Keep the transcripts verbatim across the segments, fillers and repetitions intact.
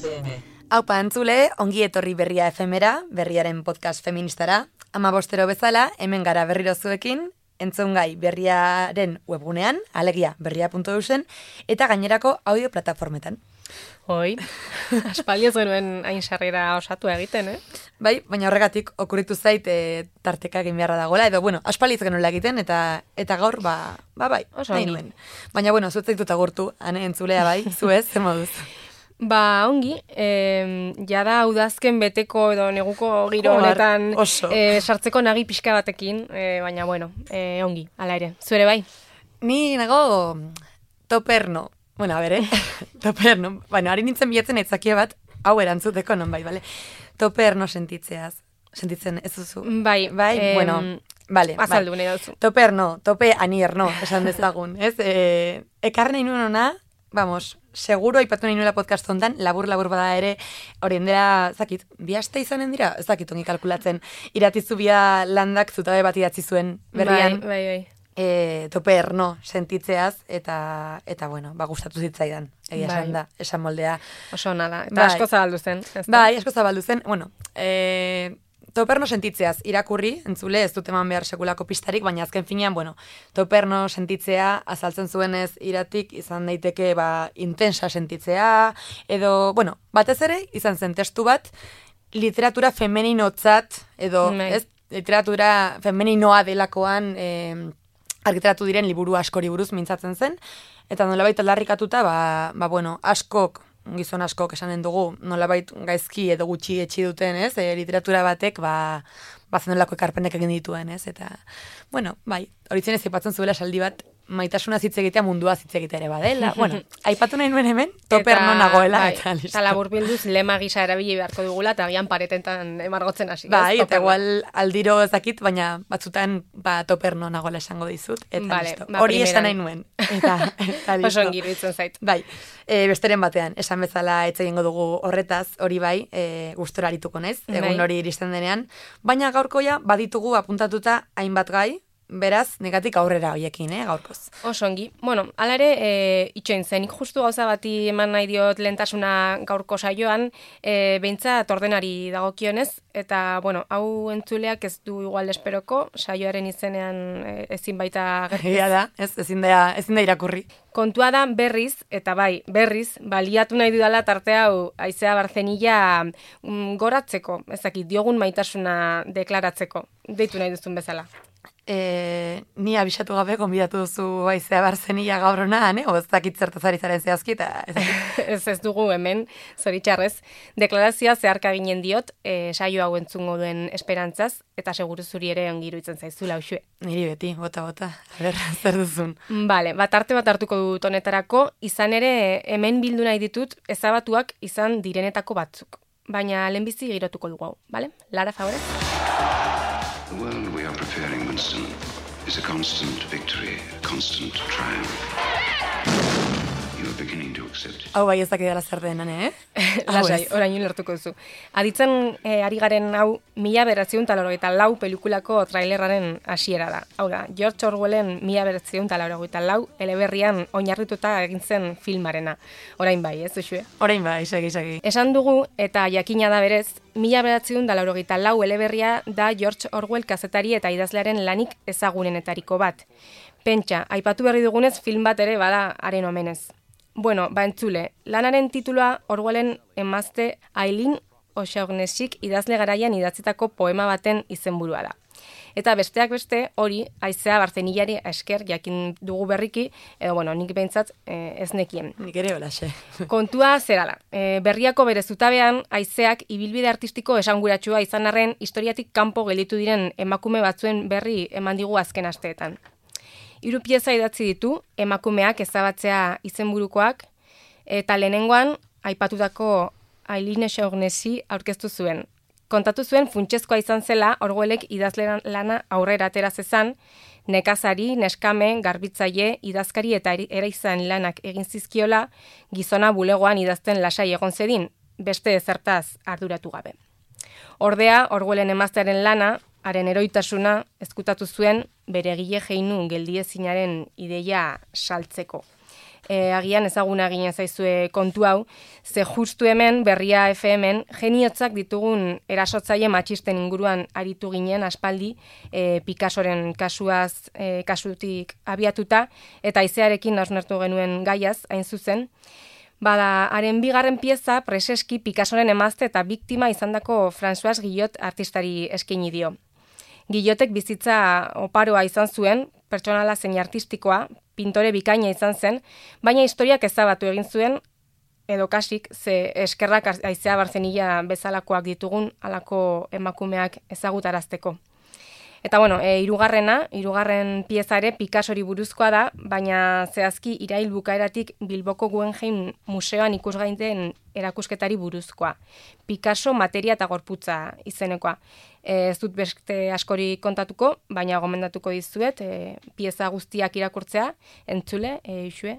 F M. Haupa entzule, ongi etorri Berria F M-era, Berriaren podcast feministara. Ama bostero bezala, hemen gara berriro zuekin, entzungai Berriaren webgunean, alegia berria puntu eusen, eta gainerako audio plataformetan. Hoi, aspaldi ez genuen hain sarrera osatu egiten, eh? Bai, baina horregatik okurritu zait e, tarteka egin beharra dagoela, edo, bueno, aspaldi ez genuela egiten, eta eta gaur, ba, ba bai, Oso nahi ongi. nuen. Baina, bueno, zuetzait dut agurtu, ane entzulea bai, zuez, zer moduz. Ba, ongi, eh, jada udazken beteko edo neguko giro Joder, honetan oso. eh, sartzeko nagi pixka batekin, eh, baina bueno, eh, ongi, ala ere. Zuere bai? Ni nago toperno. Bueno, a ber, eh? Toperno. Bueno, hari nintzen bilatzen aitzakia bat, hau erantzuteko non bai, bale? Toperno sentitzeaz. Sentitzen ez duzu? Bai, Bai, em, bueno, vale. azaldu bai. nahi duzu. Toperno, tope anierno, esan dezagun, ez? E, ekarri nahi nuen ona, vamos, seguro aipatu nahi nuela podcast hontan, labur-labur bada ere, horien dela, zakit, bi aste izanen dira? Ez dakit ongi kalkulatzen, iratizu bia landak zutabe bat idatzi zuen berrian. Bai, bai, bai. E, toperno sentitzeaz, eta, eta bueno, ba, gustatu zitzaidan, egia Bai. esan da, esan moldea. Oso ona da, eta Bai. asko zabaldu zen. ez da? Bai, asko zabaldu zen, bueno, e, toperno sentitzeaz irakurri, entzule, ez dut eman behar sekulako pistarik, baina azken finean, bueno, toperno sentitzea, azaltzen zuenez iratik, izan daiteke, ba, intensa sentitzea, edo, bueno, batez ere, izan zen testu bat, literatura femeninotzat, edo, Bai. ez, literatura femeninoa delakoan, e, argitaratu diren liburu askori buruz mintzatzen zen, eta nolabait aldarrikatuta, ba, ba bueno, askok, gizon askok esanen dugu, nolabait gaizki edo gutxi etxi duten, ez, e, literatura batek, ba, bazenolako ekarpenek egin dituen, ez, eta, bueno, bai, horitzen ez aipatzen zuela esaldi bat, maitasuna hitz egitea mundua hitz egitea ere badela, bueno, aipatu nahi nuen hemen, toperno nagoela, bai, eta listo. eta labur bilduz lema gisa erabili beharko dugula, eta agian paretetan emargotzen hasi. ez? Bai, eta Toperno. igual aldiro ezakit, baina batzutan ba, toperno nagoela esango dizut, eta Vale, listo. ba, Hori esan primeran. nahi nuen, eta, eta listo. Oso ongi iruditzen zait. Bai, e, besteren batean, esan bezala etxe egingo dugu horretaz, hori bai, e, gustora arituko naiz, egun Bai. hori iristen denean, baina gaurkoia baditugu apuntatuta hainbat gai, beraz, negatik aurrera hoiekin, eh, gaurkoz. Oso ongi. Bueno, hala ere, e, itxoin zen, nik justu gauza bati eman nahi diot lehentasuna gaurko saioan, e, behintzat ordenari dagokionez, eta, bueno, hau entzuleak ez du igual esperoko, saioaren izenean e, ezin baita gertu. Egia da, ez, ezin da, ezin da irakurri. Kontua da berriz, eta bai, berriz, baliatu nahi dudala tarte hau Aizea Barzenilla mm, goratzeko, ezakit, diogun maitasuna deklaratzeko, deitu nahi duzun bezala. E, ni abisatu gabe konbidatu duzu Aizea Barzenilla gaur honan, eh? O ez dakit zertaz ari zaren zehazki, eta ez dakit. ez ez dugu hemen, zoritxarrez, deklarazioa zeharka ginen diot, e, saio hau entzungo duen esperantzaz, eta seguru zuri ere ongi iruditzen zaizula usue. Niri beti, bota, bota, a ber, zer duzun. Bale, bat arte bat hartuko dut honetarako, izan ere hemen bildu nahi ditut ezabatuak izan direnetako batzuk. Baina lehenbizi girotuko dugu hau, bale? Lara, favore? The world we are preparing, Winston, is a constant victory, a constant triumph. You are beginning to accept it. Hau bai ez dakidala zer denan, eh? Hau Lasai, ez. orain lertuko duzu. Aditzen eh, ari garen hau, mila beratziehun eta laurogeita lau pelikulako trailerraren hasiera da. Hau da, George Orwellen mila beratziehun eta laurogeita lau eleberrian oinarrituta egin zen filmarena. Orain bai, ez duzue? Orain bai, segi, segi. Esan dugu, eta jakina da berez, mila beratziehun eta laurogeita lau eleberria da George Orwell kazetari eta idazlearen lanik ezagunenetariko bat. Pentsa, aipatu berri dugunez film bat ere bada haren omenez. Bueno, ba entzule, lanaren titulua Orwellen emazte Aileen O'Shaughnessyk idazle garaian idatzitako poema baten izenburua da. Eta besteak beste, hori, Aizea Barzenillari esker jakin dugu berriki, edo bueno, nik behintzat eh, ez nekien. Nik ere holaxe. Kontua zera da. E, berriako bere zutabean, Aizeak ibilbide artistiko esanguratsua izan arren historiatik kanpo gelditu diren emakume batzuen berri eman digu azken asteetan. Hiru pieza idatzi ditu, emakumeak ezabatzea izenburukoak, eta lehenengoan, aipatutako Aileen O'Shaughnessy aurkeztu zuen. Kontatu zuen funtsezkoa izan zela Orwellek idazle lana aurrera atera zezan, nekazari, neskame, garbitzaile, idazkari eta eraizan lanak egin zizkiola, gizona bulegoan idazten lasai egon zedin, beste ezertaz arduratu gabe. Ordea, Orwellen emaztearen lana, haren eroitasuna ezkutatu zuen bere egile jeinu geldiezinaren ideia saltzeko. E, agian ezaguna ginen zaizue kontu hau, ze justu hemen, Berria F M-en, geniotzak ditugun erasotzaile matxisten inguruan aritu ginen aspaldi, e, Picassoren kasuaz, e, kasutik abiatuta, eta haizearekin hausnartu genuen gaiaz, hain zuzen. Bada, haren bigarren pieza preseski Picassoren emazte eta biktima izandako François Guillot artistari eskaini dio. Guillotek bizitza oparoa izan zuen, pertsonala zein artistikoa, pintore bikaina izan zen, baina historiak ezabatu egin zuen, edo kasik, ze eskerrak haizea barzenila bezalakoak ditugun halako emakumeak ezagutarazteko. Eta bueno, e, irugarrena, irugarren pieza ere Picassori buruzkoa da, baina zehazki irail bukaeratik Bilboko Guggenheim museoan ikusgai den erakusketari buruzkoa. Picasso materia eta gorputza izenekoa. E, ez dut beste askori kontatuko, baina gomendatuko dizuet, e, pieza guztiak irakurtzea, entzule, e, isue,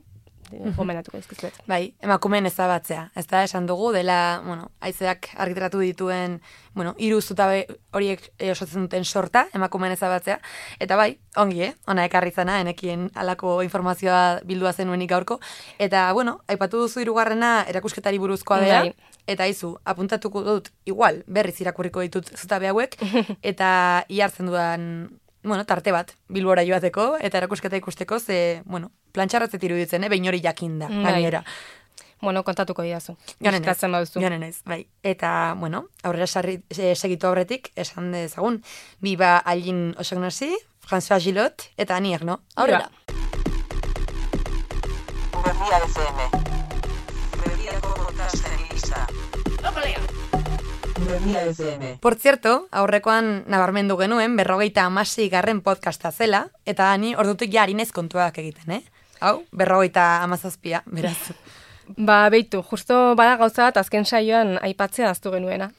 gomendatuko dizkizuet. Bai, emakumeen ezabatzea. Ez da, esan dugu, dela, bueno, haizeak argitaratu dituen, bueno, hiru zutabe horiek osatzen duten sorta, emakumeen ezabatzea. Eta bai, ongi, eh? Ona ekarri zana, enekien alako informazioa bildua zenuenik gaurko. Eta, bueno, aipatu duzu hirugarrena erakusketari buruzkoa dela. Bai. Eta izu, apuntatuko dut, igual, berriz irakurriko ditut zutabe hauek, eta ihartzen dudan, bueno, tarte bat, Bilbora joateko, eta erakusketa ikusteko, ze, bueno, plantxarratzet iruditzen, eh? Behin hori jakinda, gainera. Bueno, kontatuko didazu. Joanen ez, baduzu. joanen ez, bai. Eta, bueno, aurrera sarri, e, segitu aurretik, esan dezagun, Biba Aline Osagnasi, François Guillot, eta aniak, no? Aurrera. Berria F M. Berriako podcastari gisa. Berria F M. Por cierto, aurrekoan nabarmendu genuen, berrogeita amasei garren podcasta zela, eta ani ordutik ja harinez kontuak egiten, eh? Hau, berrogeita amazazpia, beraz. Ba, beitu, justo bada gauza bat azken saioan aipatzea aztu genuena.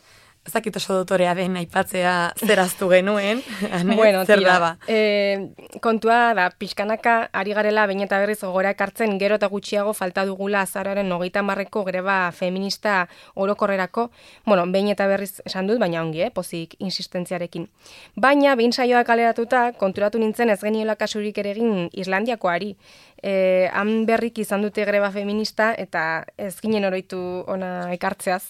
Ezakit oso dotorea den aipatzea zeraztu genuen, ane, Bueno, zer tira, daba. e, kontua da, pixkanaka ari garela behin eta berriz gogora ekartzen gero eta gutxiago falta dugula azaroaren hogeita hamarreko greba feminista orokorrerako, bueno, behin eta berriz esan dut, baina ongi, eh, pozik insistentziarekin. Baina, behin saioa kaleratuta, konturatu nintzen ez geniola kasurik ere egin Islandiakoari. E, han berrik izan dute greba feminista eta ez ginen oroitu ona ekartzeaz.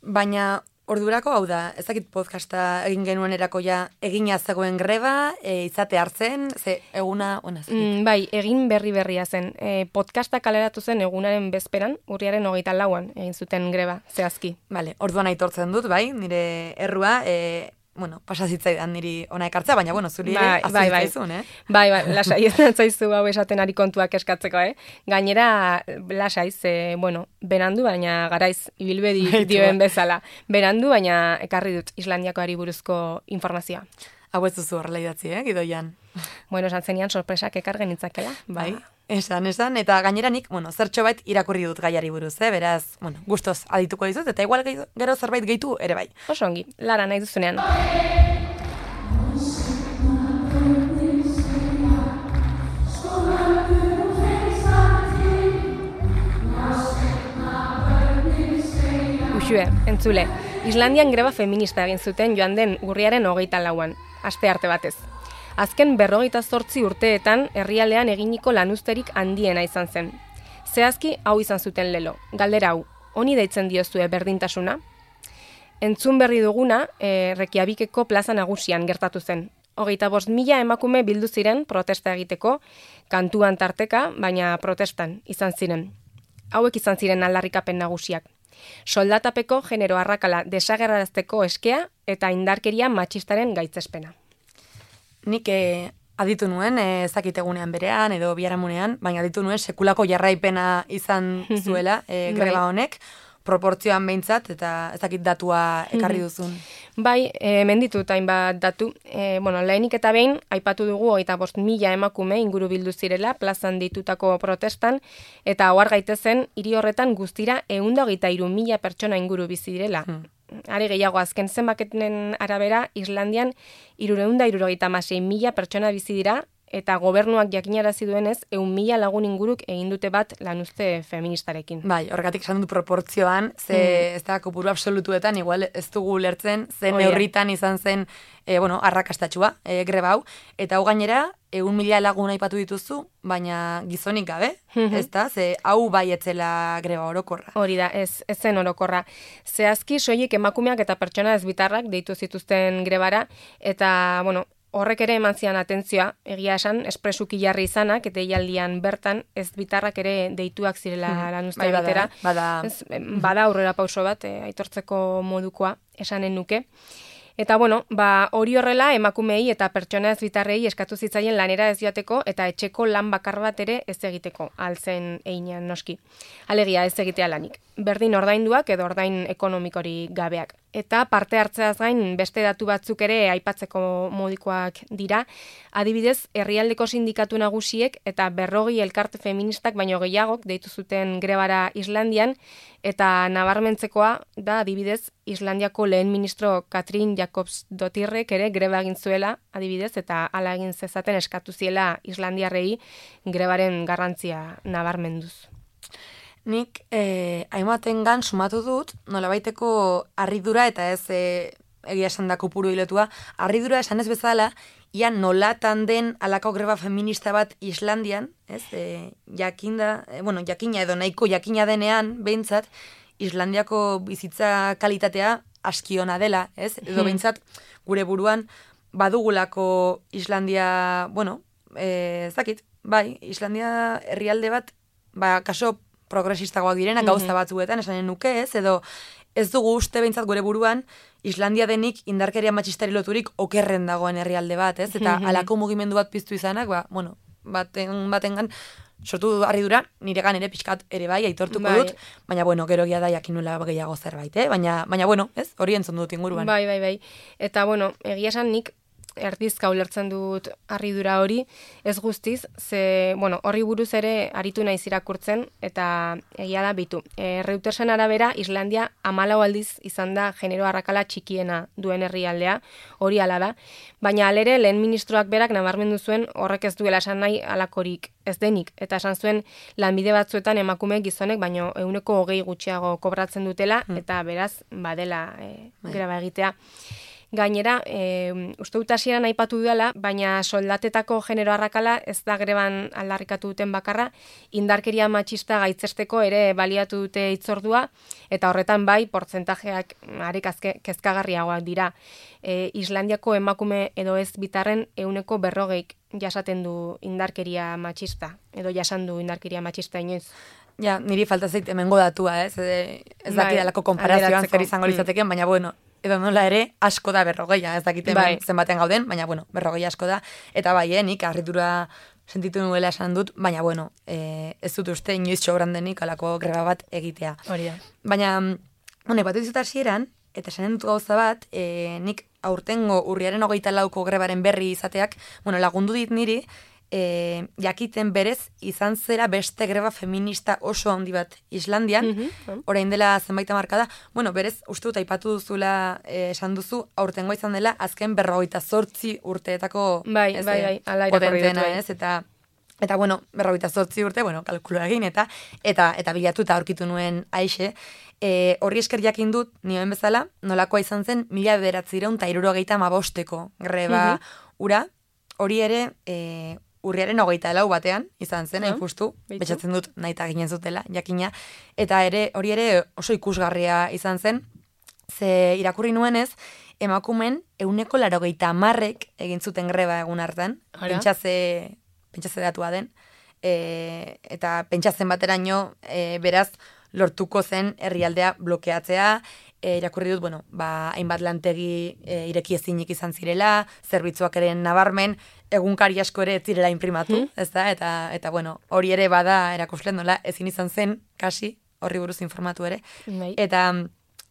Baina, ordurako hau da, ezakit podcasta egin genuen erakoia egina zegoen greba, e, izate hartzen, ze eguna, ona zakit. Mm, bai, egin berri berria zen. E, podcasta kaleratu zen egunaren bezperan, urriaren hogeita lauan egin zuten greba, zehazki. Vale, orduan aitortzen dut, bai, nire errua, e, bueno, pasazitzaidan niri ona ekartza, baina, bueno, zuri ere, Bai, bai, bai. azizun, eh? Bai, bai, lasai ez natzaizu hau esaten ari kontuak eskatzeko, eh? Gainera, lasai, ze, bueno, berandu, baina garaiz ibilbedi Baitu, dioen ba. bezala. Berandu, baina ekarri dut Islandiakoari buruzko informazioa. Hau ez duzu horrela idatzi, eh, gidoian. Bueno, esan zenian sorpresak ekar genitzakela. Bai, esan, esan, eta gainera nik, bueno, zertxo bait irakurri dut gaiari buruz, eh, beraz, bueno, gustoz adituko dizut, eta igual gehi- gero zerbait gehitu ere bai. Oso ongi, Lara nahi duzunean. Uxue, entzule, Islandian greba feminista egin zuten joan den urriaren hogeita lauan, aste arte batez. Azken berrogeita zortzi urteetan herrialdean eginiko lanuzterik handiena izan zen. Zehazki hau izan zuten lelo, galdera hau, honi deitzen diozue berdintasuna? Entzun berri duguna, e, Reykjavikeko plaza nagusian gertatu zen. Hogeita bost mila emakume bildu ziren protesta egiteko, kantuan tarteka, baina protestan izan ziren. Hauek izan ziren aldarrikapen nagusiak. Soldatapeko genero arrakala desagerrarazteko eskea eta indarkeria matxistaren gaitzespena. Nik eh, aditu nuen, eh, ezakitegunean berean edo biharamunean, baina aditu nuen sekulako jarraipena izan zuela eh, greba honek, proportzioan behintzat, eta ezakit datua ekarri duzun. Bai, e, menditut hainbat datu. E, bueno, lehenik eta behin, aipatu dugu hogeita bost mila emakume inguru bildu zirela plazan ditutako protestan, eta ohar gaitezen, hiri horretan guztira ehun eta hogeita hiru mila pertsona inguru bizi direla. Hmm. Are gehiago azken zenbaketen arabera, Islandian hirurehun eta hirurogeita hamasei mila pertsona bizi dira, eta gobernuak jakinarazi duenez, ehun mila lagun inguruk egin dute bat lanuzte feministarekin. Bai, horregatik esan dut proportzioan, ze mm. ez da kopuru absolutuetan, igual ez dugu lertzen, zen Oia. neurritan izan zen, e, bueno, arrakastatxua, e, greba hau, eta hau gainera, ehun mila lagun aipatu dituzu, baina gizonik gabe, ez da, ze hau bai etzela greba orokorra. Hori da, ez, ez zen orokorra. Zehazki, soilik emakumeak eta pertsona ezbitarrak deitu zituzten grebara, eta, bueno, horrek ere eman zian atentzioa, egia esan, espresuki jarri izanak, eta eialdian bertan ez bitarrak ere deituak zirela Hmm. lanuzte Bai, bada, egitera. eh? Bada. Ez, bada aurrera pauso bat, eh, aitortzeko modukoa, esanen nuke. Eta bueno, ba, hori horrela emakumei eta pertsona ez bitarrei eskatu zitzaien lanera ez joateko eta etxeko lan bakar bat ere ez egiteko, altzen einean noski. Alegia ez egitea lanik. Berdin ordainduak edo ordain ekonomikori gabeak. Eta parte hartzeaz gain beste datu batzuk ere aipatzeko modikoak dira. Adibidez, herrialdeko sindikatu nagusiek eta berrogi elkarte feministak baino gehiagok deitu zuten grebara Islandian, eta nabarmentzekoa da adibidez Islandiako lehen ministro Katrin Jakobsdottirrek ere greba egin zuela, adibidez, eta hala egin zezaten eskatu ziela islandiarrei grebaren garrantzia nabarmenduz. Nik eh, hainbatengan sumatu dut, nolabaiteko harridura eta ez eh, egia esan da kopuru hilotua, harridura esan ez bezala, ia nolatan den alako greba feminista bat Islandian, ez, e, jakinda, e, bueno, jakina edo nahiko jakina denean, behintzat, Islandiako bizitza kalitatea askiona dela, ez, edo behintzat gure buruan badugulako Islandia, bueno, e, zakit, bai, Islandia herrialde bat, ba, kaso progresistagoak direna, gauza batzuetan, esanen nuke, ez, edo ez dugu uste behintzat gure buruan Islandia denik indarkeria matxistari loturik okerren dagoen herrialde bat, ez? Eta halako mugimendu bat piztu izanak, ba, bueno, baten, batengan sortu du harridura, niregan ere pixkat ere bai, aitortuko Bai. dut, baina bueno, gero gia da jakinula gehiago zerbait, eh? Baina, baina bueno, ez? Hori entzun dut inguruan. Bai, bai, bai. Eta bueno, egia esan nik erdizka ulertzen dut harridura hori, ez guztiz, ze, bueno, horri buruz ere aritu naiz irakurtzen, eta egia da bitu. E, Reutersen arabera, Islandia hamalau aldiz izan da genero arrakala txikiena duen herrialdea, hori hala da, baina alere lehen ministroak berak nabarmendu zuen horrek ez duela esan nahi alakorik ez denik, eta esan zuen lanbide batzuetan emakume gizonek, baino ehuneko hogei gutxiago kobratzen dutela, eta beraz, badela e, greba egitea. Gainera, e, uste dut hasieran aipatu dudala, baina soldatetako genero arrakala ez da greban aldarrikatu duten bakarra, indarkeria matxista gaitzesteko ere baliatu dute hitzordua, eta horretan bai, portzentajeak arek azke kezkagarriagoak dira. E, Islandiako emakume edo ez bitarren ehuneko berrogeik jasaten du indarkeria matxista, edo jasan du indarkeria matxista inoiz. Ja, niri falta zait hemengo datua, ez? Ez, ez Bai, dakidalako konparazioan alderatzeko. zer izango litzateken, baina bueno, edo nola ere asko da berrogeia, ez dakite Bai. zenbaten gauden, baina bueno, berrogeia asko da, eta bai, eh, nik harridura sentitu nuela esan dut, baina bueno, eh, ez dut uste inoiz sobran denik alako greba bat egitea. Hori da. Baina, bueno, ipatu dizut hasieran, eta esanen dut gauza bat, e, nik aurtengo urriaren hogeita lauko grebaren berri izateak, bueno, lagundu dit niri, e, jakiten berez izan zera beste greba feminista oso handi bat Islandian, Mhm. orain dela zenbait hamarkada, bueno, berez, uste dut aipatu duzula, e, esan duzu, aurtengo izan dela, azken berrogeita zortzi urteetako Bai, ez, bai, e, bai, ala irakurri dut, potenteena, bai. ez, eta Eta, bueno, berrogeita zortzi urte, bueno, kalkulu egin, eta eta eta bilatu eta aurkitu nuen aixe. E, horri esker jakin dut, nioen bezala, nolakoa izan zen, mila bederatzireun eta hirurogeita hamabosteko greba ura, hori ere, e, urriaren hogeita lau batean, izan zen, hain Ah, justu, beitu. betxatzen dut nahita ginen zutela, jakina, eta ere, hori ere oso ikusgarria izan zen, ze irakurri nuenez, emakumen euneko larogeita hamarrek egin zuten greba egun hartan, Ara. pentsaze, pentsaze datua den, e, eta pentsatzen bateraino, e, beraz, lortuko zen herrialdea blokeatzea, e, irakurri dut, bueno, ba, hainbat lantegi e, ireki ezinik izan zirela, zerbitzuak ere nabarmen, egunkari asko ere ez zirela imprimatu, Hmm. ez da, eta, eta bueno, hori ere bada erakuslen nola, ezin izan zen, kasi, horri buruz informatu ere, Bai. eta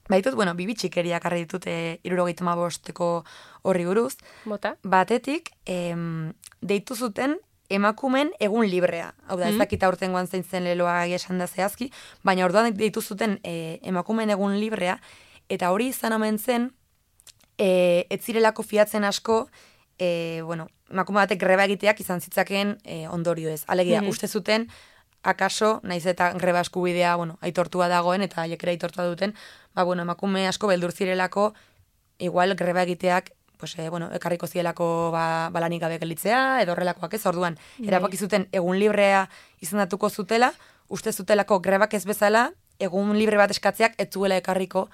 baitut, bueno, bibi txikeriak harri ditut e, irurogeita hamabosteko horri buruz, Bota? batetik, em, deitu zuten emakumen egun librea. Hau da, ez dakit aurtengoan zein zen leloa esan da zehazki, baina orduan deitu zuten e, emakumen egun librea, eta hori izan omen zen, e, ez zirelako fiatzen asko, e, bueno, emakume batek greba egiteak izan zitzakeen e, ondorio ez. Alegia, Mhm. uste zuten, akaso, naiz eta greba eskubidea, bueno, aitortua dagoen, eta haiek ere aitortua duten, ba, bueno, emakume asko beldur zirelako, igual greba egiteak, pues, eh, bueno, ekarriko zielako ba, balanik gabe gelditzea, edo horrelakoak ez, orduan, Bai. erabaki zuten egun librea izendatuko zutela, uste zutelako grebak ez bezala, egun libre bat eskatzeak ez zuela ekarriko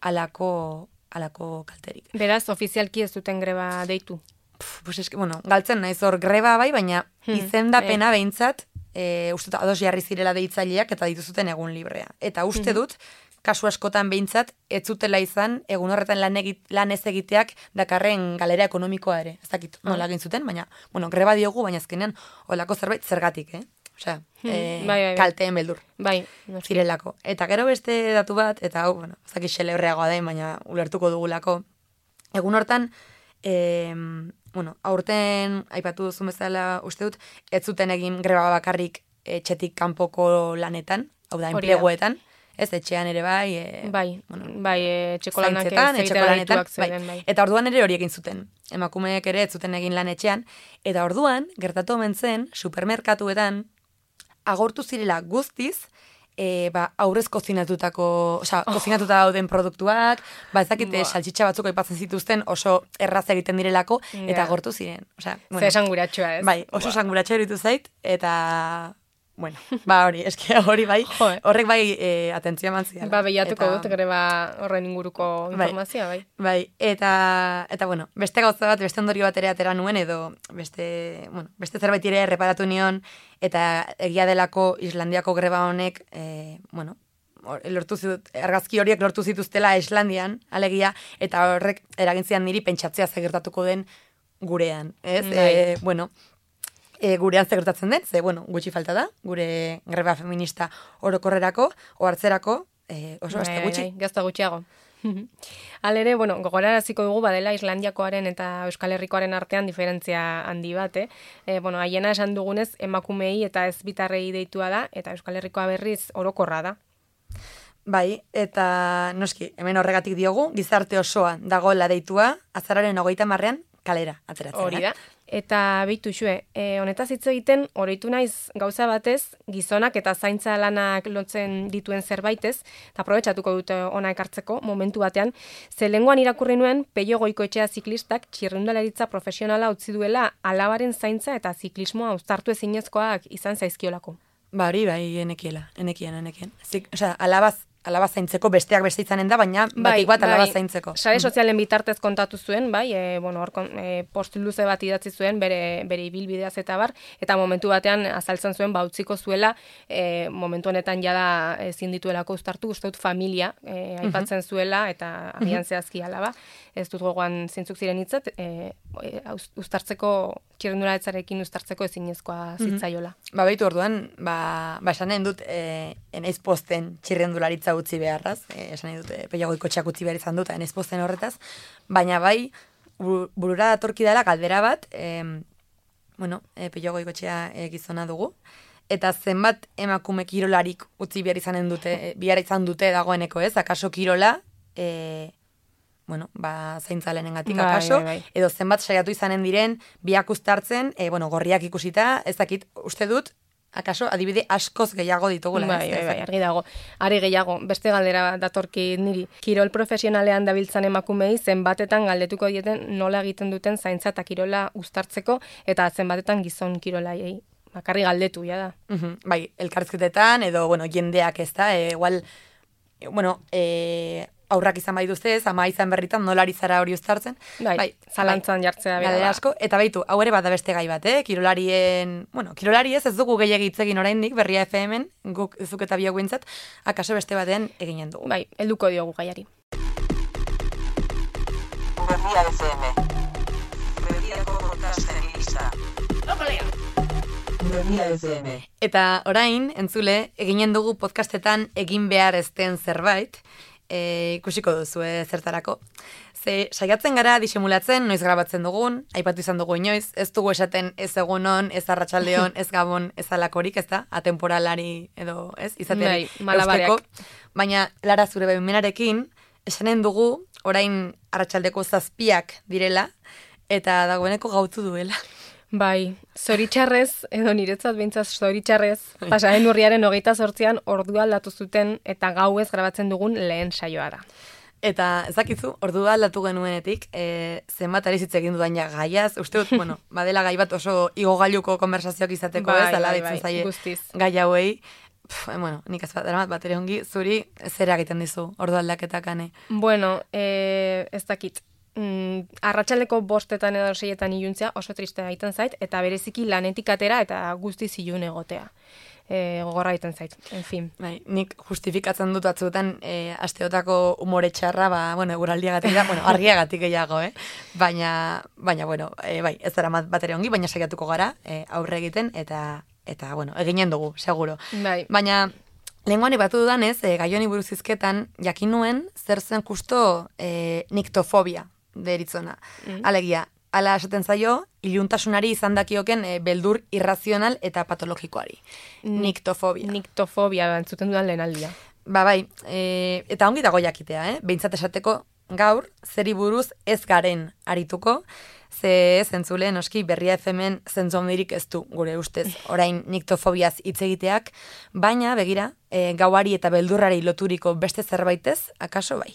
alako, alako kalterik. Beraz, ofizialki ez duten greba deitu. Pff, pues eske, bueno, galtzen naiz hor greba bai, baina Hmm, izendapena behintzat, e, uste dut ados jarri zirela deitzaileak eta dituzuten egun librea. Eta uste dut, kasu askotan behintzat, ez zutela izan, egun horretan lan, egit, lan ez egiteak dakarren galera ekonomikoa ere. Ez dakit nola egin zuten, baina, bueno, greba diogu, baina azkenean, olako zerbait zergatik, eh? Osea, eh, bai, bai, bai. kalteen beldur Bai, noski. zirelako. Eta gero beste datu bat, eta hau, bueno, ez dakit xelebreagoa da, baina ulertuko dugulako. Egun hortan, e, bueno, aurten, aipatu duzu bezala, uste dut, ez zuten egin greba bakarrik etxetik kanpoko lanetan, hau da, Hori da. enpleguetan, ez, etxean ere bai, e, Bai, bueno, bai, eh, etxeko lanak ez zaintzetan, etxeko egitera lanetan, deituak zeuden, bai. Eta orduan ere hori egin zuten. Emakumeek ere ez zuten egin lan etxean, eta orduan, gertatu omen zen, supermerkatuetan, agortu zirela guztiz, e, ba, aurrez kozinatutako, osea, Oh. kozinatuta dauden produktuak, ba, ez dakite, Ba. saltxitxa batzuk aipatzen zituzten oso erraz egiten direlako, eta Ja. agortu ziren. Osea, Ze esanguratsua ez. bai, oso sanguratxa iruditu zait, eta, bueno, ba, hori, eske hori bai, Jo, eh. horrek bai e, atentzia eman ziala. Ba, behiatuko Eta- dut greba horren inguruko Bai. informazioa, bai. Bai, eta, eta bueno, beste gauza bat, beste ondorio bat ere atera nuen, edo beste, bueno, beste zerbait ere erreparatu nion, eta egia delako Islandiako greba honek, e, bueno, hor- lortu zitut, argazki horiek lortu zituztela Islandian, alegia, eta horrek eragintzian niri pentsatzea zer gertatuko den gurean, ez? Bai. E, bueno, e, gurean zer gertatzen den, ze, bueno, gutxi falta da, gure greba feminista orokorrerako, ohartzerako, e, oso beste Bai, gutxi. bai, gazta gutxiago. Halere, bueno, gogoraraziko dugu badela Islandiakoaren eta Euskal Herrikoaren artean diferentzia handi bat, eh? E, bueno, haiena esan dugunez emakumei eta ez bitarrei deitua da, eta Euskal Herrikoa berriz orokorra da. Bai, eta noski, hemen horregatik diogu, gizarte osoa dagoela deitua, azararen hogeita marrean kalera ateratzen. Hori da. Eta beitu xue, e, honetaz hitz egiten, oroitu naiz gauza batez, gizonak eta zaintza lanak lotzen dituen zerbaitez, eta aprobetxatuko dute ona ekartzeko momentu batean, ze lenguan irakurri nuen Peio Goikoetxea ziklistak txirrindularitza profesionala utzi duela alabaren zaintza eta ziklismoa uztartu ezinezkoak izan zaizkiolako. Ba, hori, bai, enekiela, enekien, enekien. Zik, osea, alabaz, alaba zaintzeko besteak beste izanen da, baina batik bat alaba zaintzeko. Sare sozialen bitartez kontatu zuen, bai, e, bueno, hor kon- e, post luze bat idatzi zuen bere bere ibilbideaz eta bar, eta momentu batean azaltzen zuen ba utziko zuela, e, momentu honetan jada ezin dituelako uztartu, uste dut familia e, aipatzen zuela eta agian zehazki alaba. Ez dut gogoan zintzuk ziren hitzat, e, e, uz- uztartzeko txirrindularitzarekin uztartzeko ezinezkoa zitzaiola. Ba, baitu orduan, ba, ba esanen dut, e, enaiz posten txirrendularitza utzi beharraz, e, esan nahi dut, e, Peio Goikoetxeak utzi behar izan dut, enaiz posten horretaz, baina bai, bu- burura datorki dela galdera bat, e, bueno, e, Peio Goikoetxea e, gizona dugu, eta zenbat emakume kirolarik utzi behar izanen dute, e, behar izan dute dagoeneko ez, akaso kirola, e, bueno, ba, zaintza lehenengatik Bai, akaso, bai, bai. edo zenbat saiatu izanen diren, biak uztartzen, e, bueno, gorriak ikusita, ez dakit, uste dut, akaso, adibide askoz gehiago ditugula. Bai, ez? bai, bai, argi dago. Are gehiago, beste galdera bat datorki niri. Kirol profesionalean dabiltzan emakumei zenbatetan galdetuko dieten nola egiten duten zaintza eta kirola uztartzeko, eta zenbatetan gizon kirolaiei. Bakarri galdetu, ja da. Mhm, bai, elkarrizketetan, edo, bueno, jendeak ez da, e, igual, e, bueno, e, aurrak izan bai duztez, ama izan berritan, nolari zara hori uztartzen. Bai, zalantzan jartzea bera Galdera da. asko, eta baitu, hau ere bada beste gai bat, eh? Kirolarien, bueno, kirolari ez, ez dugu gehiagik hitz egin oraindik Berria F M-en, guk zuk eta biok bintzat, akaso beste batean eginen dugu. Bai, helduko diogu gaiari. Berria F M. Berriako podcast egisa. Berria F M. Eta orain, entzule, eginen dugu podcastetan egin behar ez den zerbait, e, ikusiko duzu zertarako. Ze saiatzen gara disimulatzen, noiz grabatzen dugun, aipatu izan dugu inoiz, ez dugu esaten ez egunon, ez arratsaldeon, ez gabon, ez alakorik, ez da, atemporalari edo, ez, izateari Bai, malabareak. eusteko. Baina, Lara, zure baimenarekin, esanen dugu, orain arratsaldeko zazpiak direla, eta dagoeneko gautu duela. Bai, zoritxarrez, edo niretzat behintzat zoritxarrez, pasaren urriaren hogeita zortzian ordua aldatu zuten eta gauez grabatzen dugun lehen saioa da. Eta ezakizu, ordua aldatu genuenetik, e, zenbat ari hitz egin dudan ja gaiaz, uste dut, bueno, badela gai bat oso igogailuko konversazioak izateko, bai, ez, ala bai, ditzen bai, zaie guztiz. gai hauei. Pff, bueno, nik ez bat, eramat bat ere ongi, zuri zera egiten dizu, ordu aldaketak ane. Bueno, e, ez dakit. Mm, arratsaldeko bostetan edo seietan iluntzea oso triste egiten zait, eta bereziki lanetik atera eta guztiz ilun egotea. E, gogorra egiten zait, en fin. Bai, nik justifikatzen dut batzuetan e, asteotako umore txarra, ba, bueno, eguraldiagatik da, bueno, argiagatik gehiago, eh? Baina, baina, bueno, e, bai, ez dara bat ere ongi, baina saiatuko gara, e, aurre egiten, eta, eta, bueno, eginen dugu, seguro. Bai. Baina, lehenguan ibatu dudanez, e, gai honi buruz izketan, jakin nuen, zer zen justo e, niktofobia deritzona. Mm. Alegia, ala esaten zaio, iluntasunari izan dakioken e, beldur irrazional eta patologikoari. Niktofobia. Niktofobia, entzuten dudan lehen aldia. Ba bai, e, eta ongi dago jakitea, eh? Behintzat esateko gaur, zeri buruz ez garen arituko, ze zentzule, noski, Berria F M-en zentzu handirik ez du, gure ustez, orain niktofobiaz hitz egiteak, baina, begira, e, gauari eta beldurrari loturiko beste zerbaitez, akaso bai.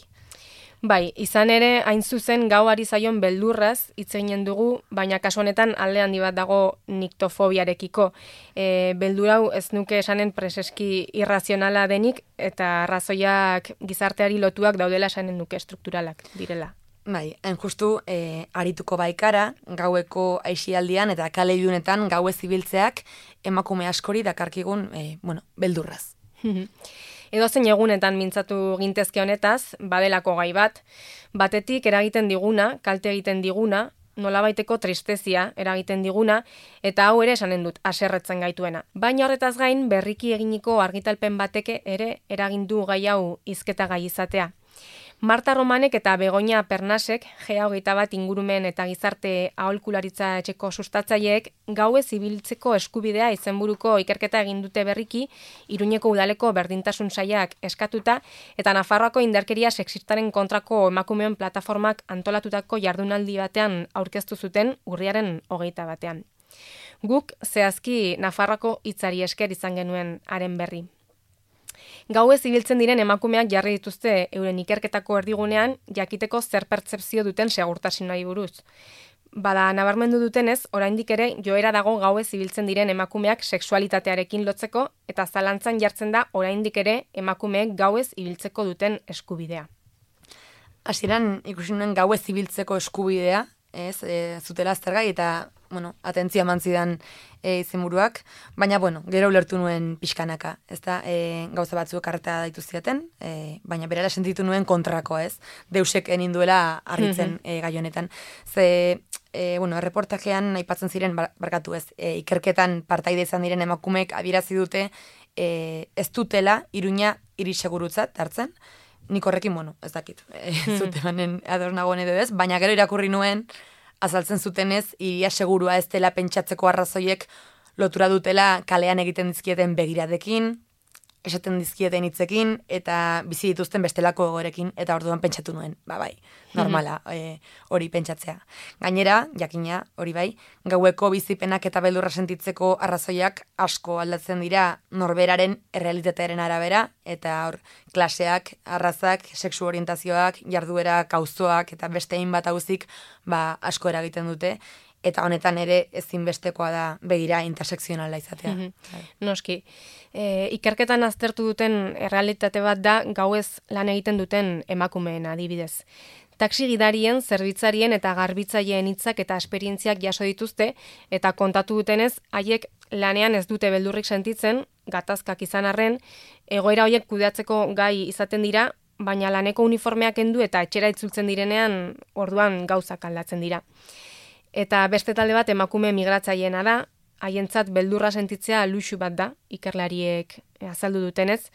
Bai, izan ere, hain zuzen gauari zaion beldurraz hitz eginen dugu, baina kasu honetan alde handi bat dago niktofobiarekiko. E, beldur hau ez nuke esanen preseski irrazionala denik, eta arrazoiak gizarteari lotuak daudela esanen nuke strukturalak direla. Bai, hain justu, e, arituko baikara, gaueko aixialdian eta kale ilunetan gauez ibiltzeak emakume askori dakarkigun, e, bueno, beldurraz. Edozein egunetan mintzatu gintezke honetaz, badelako gai bat, batetik eragiten diguna, kalte egiten diguna, nolabaiteko tristezia eragiten diguna, eta hau ere esanen dut, haserretzen gaituena. Baina horretaz gain, berriki eginiko argitalpen bateke ere eragindu gai hau hizketa gai izatea. Marta Romanek eta Begoña Pernasek, G hogeita bat ingurumen eta gizarte aholkularitza etxeko sustatzaileek, gauez ibiltzeko eskubidea izenburuko ikerketa egin dute berriki, Iruñeko udaleko berdintasun sailak eskatuta, eta Nafarroako indarkeria sexistaren kontrako emakumeon plataformak antolatutako jardunaldi batean aurkeztu zuten urriaren hogeita batean. Guk zehazki Nafarroako hitzari esker izan genuen haren berri. Gauez ibiltzen diren emakumeak jarri dituzte euren ikerketako erdigunean jakiteko zer pertzepzio duten segurtasunari buruz. Bada, nabarmendu dutenez, oraindik ere joera dago gauez ibiltzen diren emakumeak sexualitatearekin lotzeko eta zalantzan jartzen da oraindik ere emakumeek gauez ibiltzeko duten eskubidea. Hasieran ikusi nuen gauez ibiltzeko eskubidea, ez, e, zutela aztergai eta bueno, atentzia eman zidan e, izenburuak, baina, bueno, gero ulertu nuen pixkanaka, ez da, e, gauza batzuk arreta daitu ziaten, e, baina berela sentitu nuen kontrako, ez, deusek enin duela harritzen e, gai honetan. Ze, e, bueno, erreportajean aipatzen ziren, bar, barkatu ez, e, ikerketan partaide izan diren emakumeek adierazi dute e, ez dutela Iruña hiri segurutzat hartzen, nik horrekin, bueno, ez dakit, e, zute manen adornagoen edo ez, baina gero irakurri nuen, azaltzen zutenez, iria segurua ez dela pentsatzeko arrazoiek lotura dutela kalean egiten dizkieten begiradekin, esaten dizkieten hitzekin, eta bizi dituzten bestelako egorekin, eta orduan pentsatu nuen, ba bai, normala, e, hori pentsatzea. Gainera, jakina, hori bai, gaueko bizipenak eta beldurra sentitzeko arrazoiak asko aldatzen dira norberaren errealitatearen arabera, eta hor, klaseak, arrazak, sexu orientazioak, jarduera, kauzoak, eta beste hainbat hauzik, ba, asko eragiten dute, eta honetan ere ezinbestekoa da begira intersekzionala izatea. Mm-hmm. Noski, e, ikerketan aztertu duten errealitate bat da gauez lan egiten duten emakumeen adibidez. Taxi gidarien, zerbitzarien eta garbitzaileen hitzak eta esperientziak jaso dituzte, eta kontatu dutenez, haiek lanean ez dute beldurrik sentitzen, gatazkak izan arren, egoera horiek kudeatzeko gai izaten dira, baina laneko uniformeak kendu eta etxera itzultzen direnean orduan gauzak aldatzen dira. Eta beste talde bat emakume migratzaileena da, haientzat beldurra sentitzea luxu bat da, ikerlariek azaldu dutenez,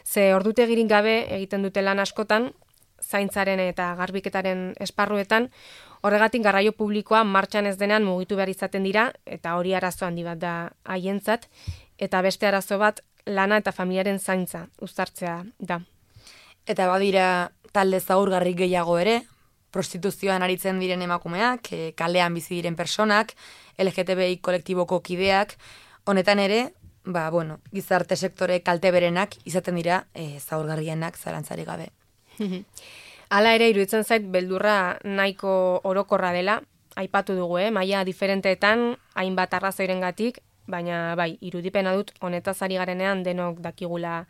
ze ordutegirik gabe egiten dute lan askotan, zaintzaren eta garbiketaren esparruetan, horregatik garraio publikoa martxan ez denean mugitu behar izaten dira, eta hori arazo handi bat da haientzat, eta beste arazo bat lana eta familiaren zaintza uztartzea da. Eta badira talde zaurgarri gehiago ere, prostituzioan aritzen diren emakumeak, e, kalean bizi diren personak, L G T B I kolektiboko kideak, honetan ere, ba, bueno, gizarte sektore kalte berenak izaten dira e, zaurgarrienak zalantzari gabe. Hala ere, iruditzen zait, beldurra nahiko orokorra dela, aipatu dugu, eh? Maila diferenteetan, hainbat arrazoirengatik, baina bai, irudipena dut, honetaz ari garenean denok dakigula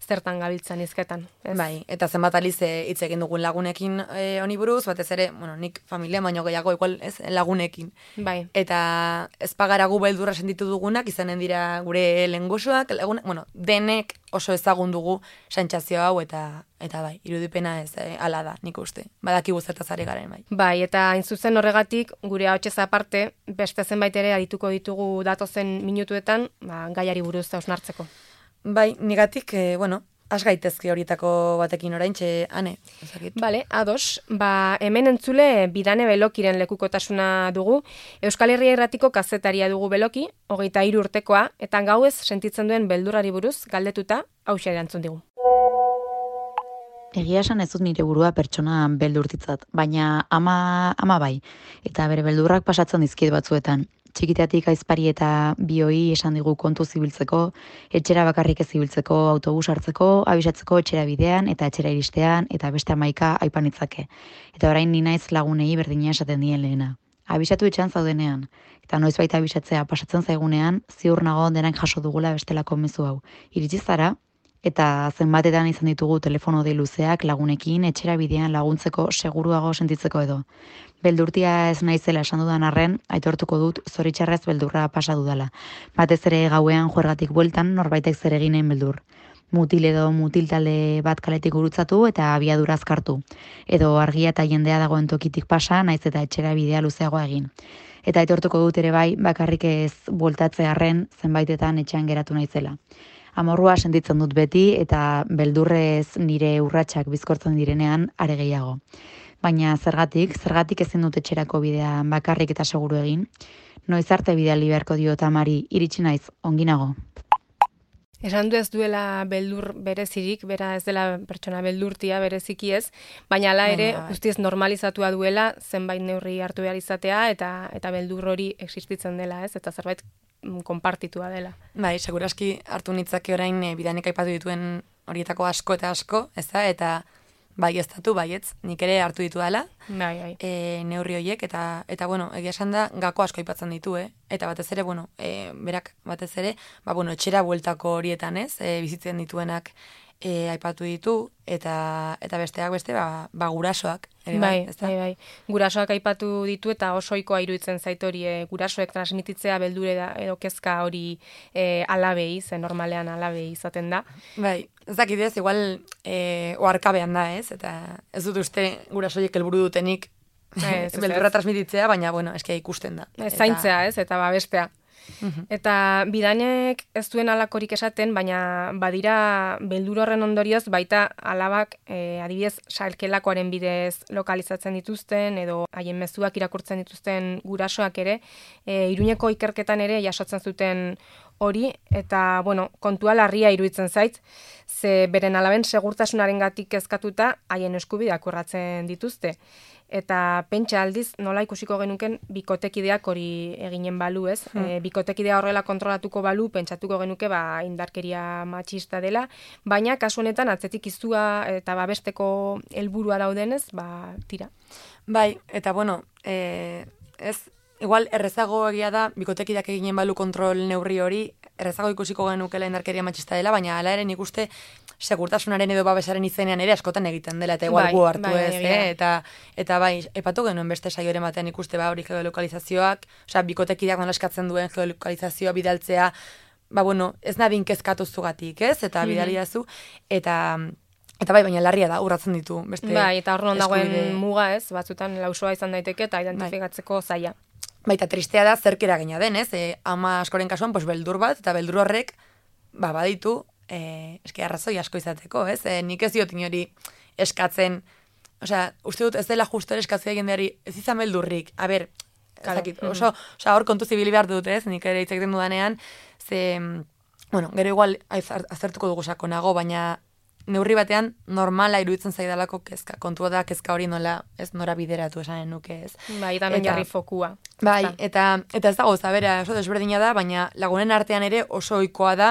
zertan gabiltzan hizketan. Ez? Bai, eta zenbat aliz e, hitz egin dugun lagunekin e, honi buruz, batez ere, bueno, nik familia baino gehiago igual, ez, lagunekin. Bai. Eta ez pagara gu beldurra sentitu dugunak, izanen dira gure lengusuak, lagunak, bueno, denek oso ezagun dugu sentsazio hau, eta eta bai, irudipena ez, e, ala da, nik uste. Badaki guztetaz ari garen, bai. Bai, eta hain zuzen horregatik, gure ahotsez aparte, beste zenbait ere adituko ditugu datozen minutuetan, ba, gaiari buruz hausnartzeko. Bai, nigatik, e, bueno, has gaitezke horietako batekin oraintxe, ane, ezakit. Bale, ados, ba, hemen entzule Bidane Belokiren lekukotasuna dugu, Euskal Herria Irratiko kazetaria dugu Beloki, hogeita hiru urtekoa, eta gauez sentitzen duen beldurrari buruz galdetuta, hauxe erantzun digu. Egia esan ez dut nire burua pertsona beldurtitzat, baina ama, ama bai, eta bere beldurrak pasatzen dizkiet batzuetan. Txikitatik aizpari eta bioi esan digu kontu zibiltzeko, etxera bakarrik ez zibiltzeko, autobus hartzeko, abisatzeko etxera bidean eta etxera iristean eta beste hamaika aipanitzake. Eta orain ni naiz lagunei berdina esaten dien lehena. Abisatu etxean zaudenean, eta noizbait abisatzea pasatzen zaigunean, ziur nago denak jaso dugula bestelako mezu hau. Iritsi zara, eta zenbatetan izan ditugu telefono dei luzeak lagunekin etxera bidean laguntzeko seguruago sentitzeko edo. Beldurtia ez naizela esan dudan arren, aitortuko dut zoritxarrez beldurra pasa dudala. Batez ere gauean juergatik bueltan norbaitek zer eginen beldur. Mutil edo mutil talde bat kaletik gurutzatu eta abiadura azkartu. Edo argia eta jendea dagoen tokitik pasa, naiz eta etxera bidea luzeagoa egin. Eta aitortuko dut ere bai, bakarrik ez bueltatze arren zenbaitetan etxean geratu naizela. Amorrua sentitzen dut beti eta beldurrez nire urratsak bizkortzen direnean are gehiago. Baina zergatik, zergatik ezin dut etxerako bidea bakarrik eta seguru egin, noiz arte bidali beharko diot amari, iritsi naiz, onginago. Esan du ez duela beldur berezirik, bera ez dela pertsona beldurtia bereziki ez, baina hala ere Baina, bai. guztiz normalizatua duela zenbait neurri hartu behar izatea eta eta beldur hori existitzen dela, ez? Eta zerbait mm, konpartitua dela. Bai, seguraski hartu nitzake orain e, bidanek aipatu dituen horietako asko eta asko, ez da, eta bai ez datu, baietz, nik ere hartu ditu dela, Bai, bai. e, neurri horiek, eta, eta bueno, egia esan da, gako asko aipatzen ditu, eh? Eta batez ere, bueno, e, berak batez ere, ba, bueno, etxera bueltako horietan, ez, e, bizitzen dituenak e, aipatu ditu, eta eta besteak beste, ba, ba gurasoak, ere bai, Bai, ezta? bai, bai. Gurasoak aipatu ditu eta oso ohikoa iruditzen zait hori e, gurasoek transmititzea beldure da, edo kezka hori e, alabei, ze normalean alabei izaten da. Bai, ez dakit ez, igual e, oarkabean da, ez? Eta ez dut uste gurasoiek helburu dutenik Ez, ez, beldurra ez. transmititzea, baina, bueno, eske ikusten da. Ez, zaintzea, ez, eta babestea. Mhm. Eta bidanek ez duen alakorik esaten, baina badira beldur horren ondorioz baita alabak e, adibidez salkelakoaren bidez lokalizatzen dituzten edo haien mezuak irakurtzen dituzten gurasoak ere, e, Iruñeko ikerketan ere jasotzen zuten hori, eta, bueno, kontua larria iruditzen zait, ze beren alaben segurtasunarengatik kezkatuta haien eskubideak urratzen dituzte. Eta pentsa aldiz nola ikusiko genuken bikotekideak hori eginen balu, ez? Hmm. E, bikotekidea horrela kontrolatuko balu, pentsatuko genuke ba indarkeria matxista dela, baina kasu honetan atzetik izua eta babesteko helburua daudenez, ba tira. Bai, eta bueno, e, ez, igual errezago egia da, bikotekideak eginen balu kontrol neurri hori, errezago ikusiko genukela indarkeria matxista dela, baina hala ere nik uste segurtasunaren edo babesaren izenean ere askotan egiten dela, eta igual Bai, gu hartu bai, ez, egia. eh? eta, eta bai, epatu genuen beste saioren batean ikuste ba hori geolokalizazioak, osea, bikotekideak nola eskatzen duen geolokalizazioa bidaltzea, ba bueno, ez nadin kezkatu zugatik, ez? Eta bidali dazu, eta eta bai, baina larria da, urratzen ditu beste Bai, eta hor non dagoen eskubide. muga, ez? Batzutan lausoa izan daiteke eta identifikatzeko zaila. Baita tristea da zerk eragina den, ez? E, ama askoren kasuan, pues, beldur bat, eta beldur horrek, ba, baditu, e, eski arrazoi asko izateko, ez? E, nik ez diot inori eskatzen, osea, uste dut ez dela justo ere eskatzea jendeari, ez izan beldurrik, a ber, Claro. ezakit, oso, osea, hor kontu zibili behar dut, ez? Nik ere hitz egiten dudanean, ze, bueno, gero igual az- azertuko dugu sakonago, baina neurri batean normala iruditzen zaidalako kezka. Kontua da kezka hori nola, ez nora bideratu esanen nuke, ez. Bai, eta non jarri fokua. Bai, eta, eta ez dago, zabera, oso desberdina da, baina lagunen artean ere oso ohikoa da,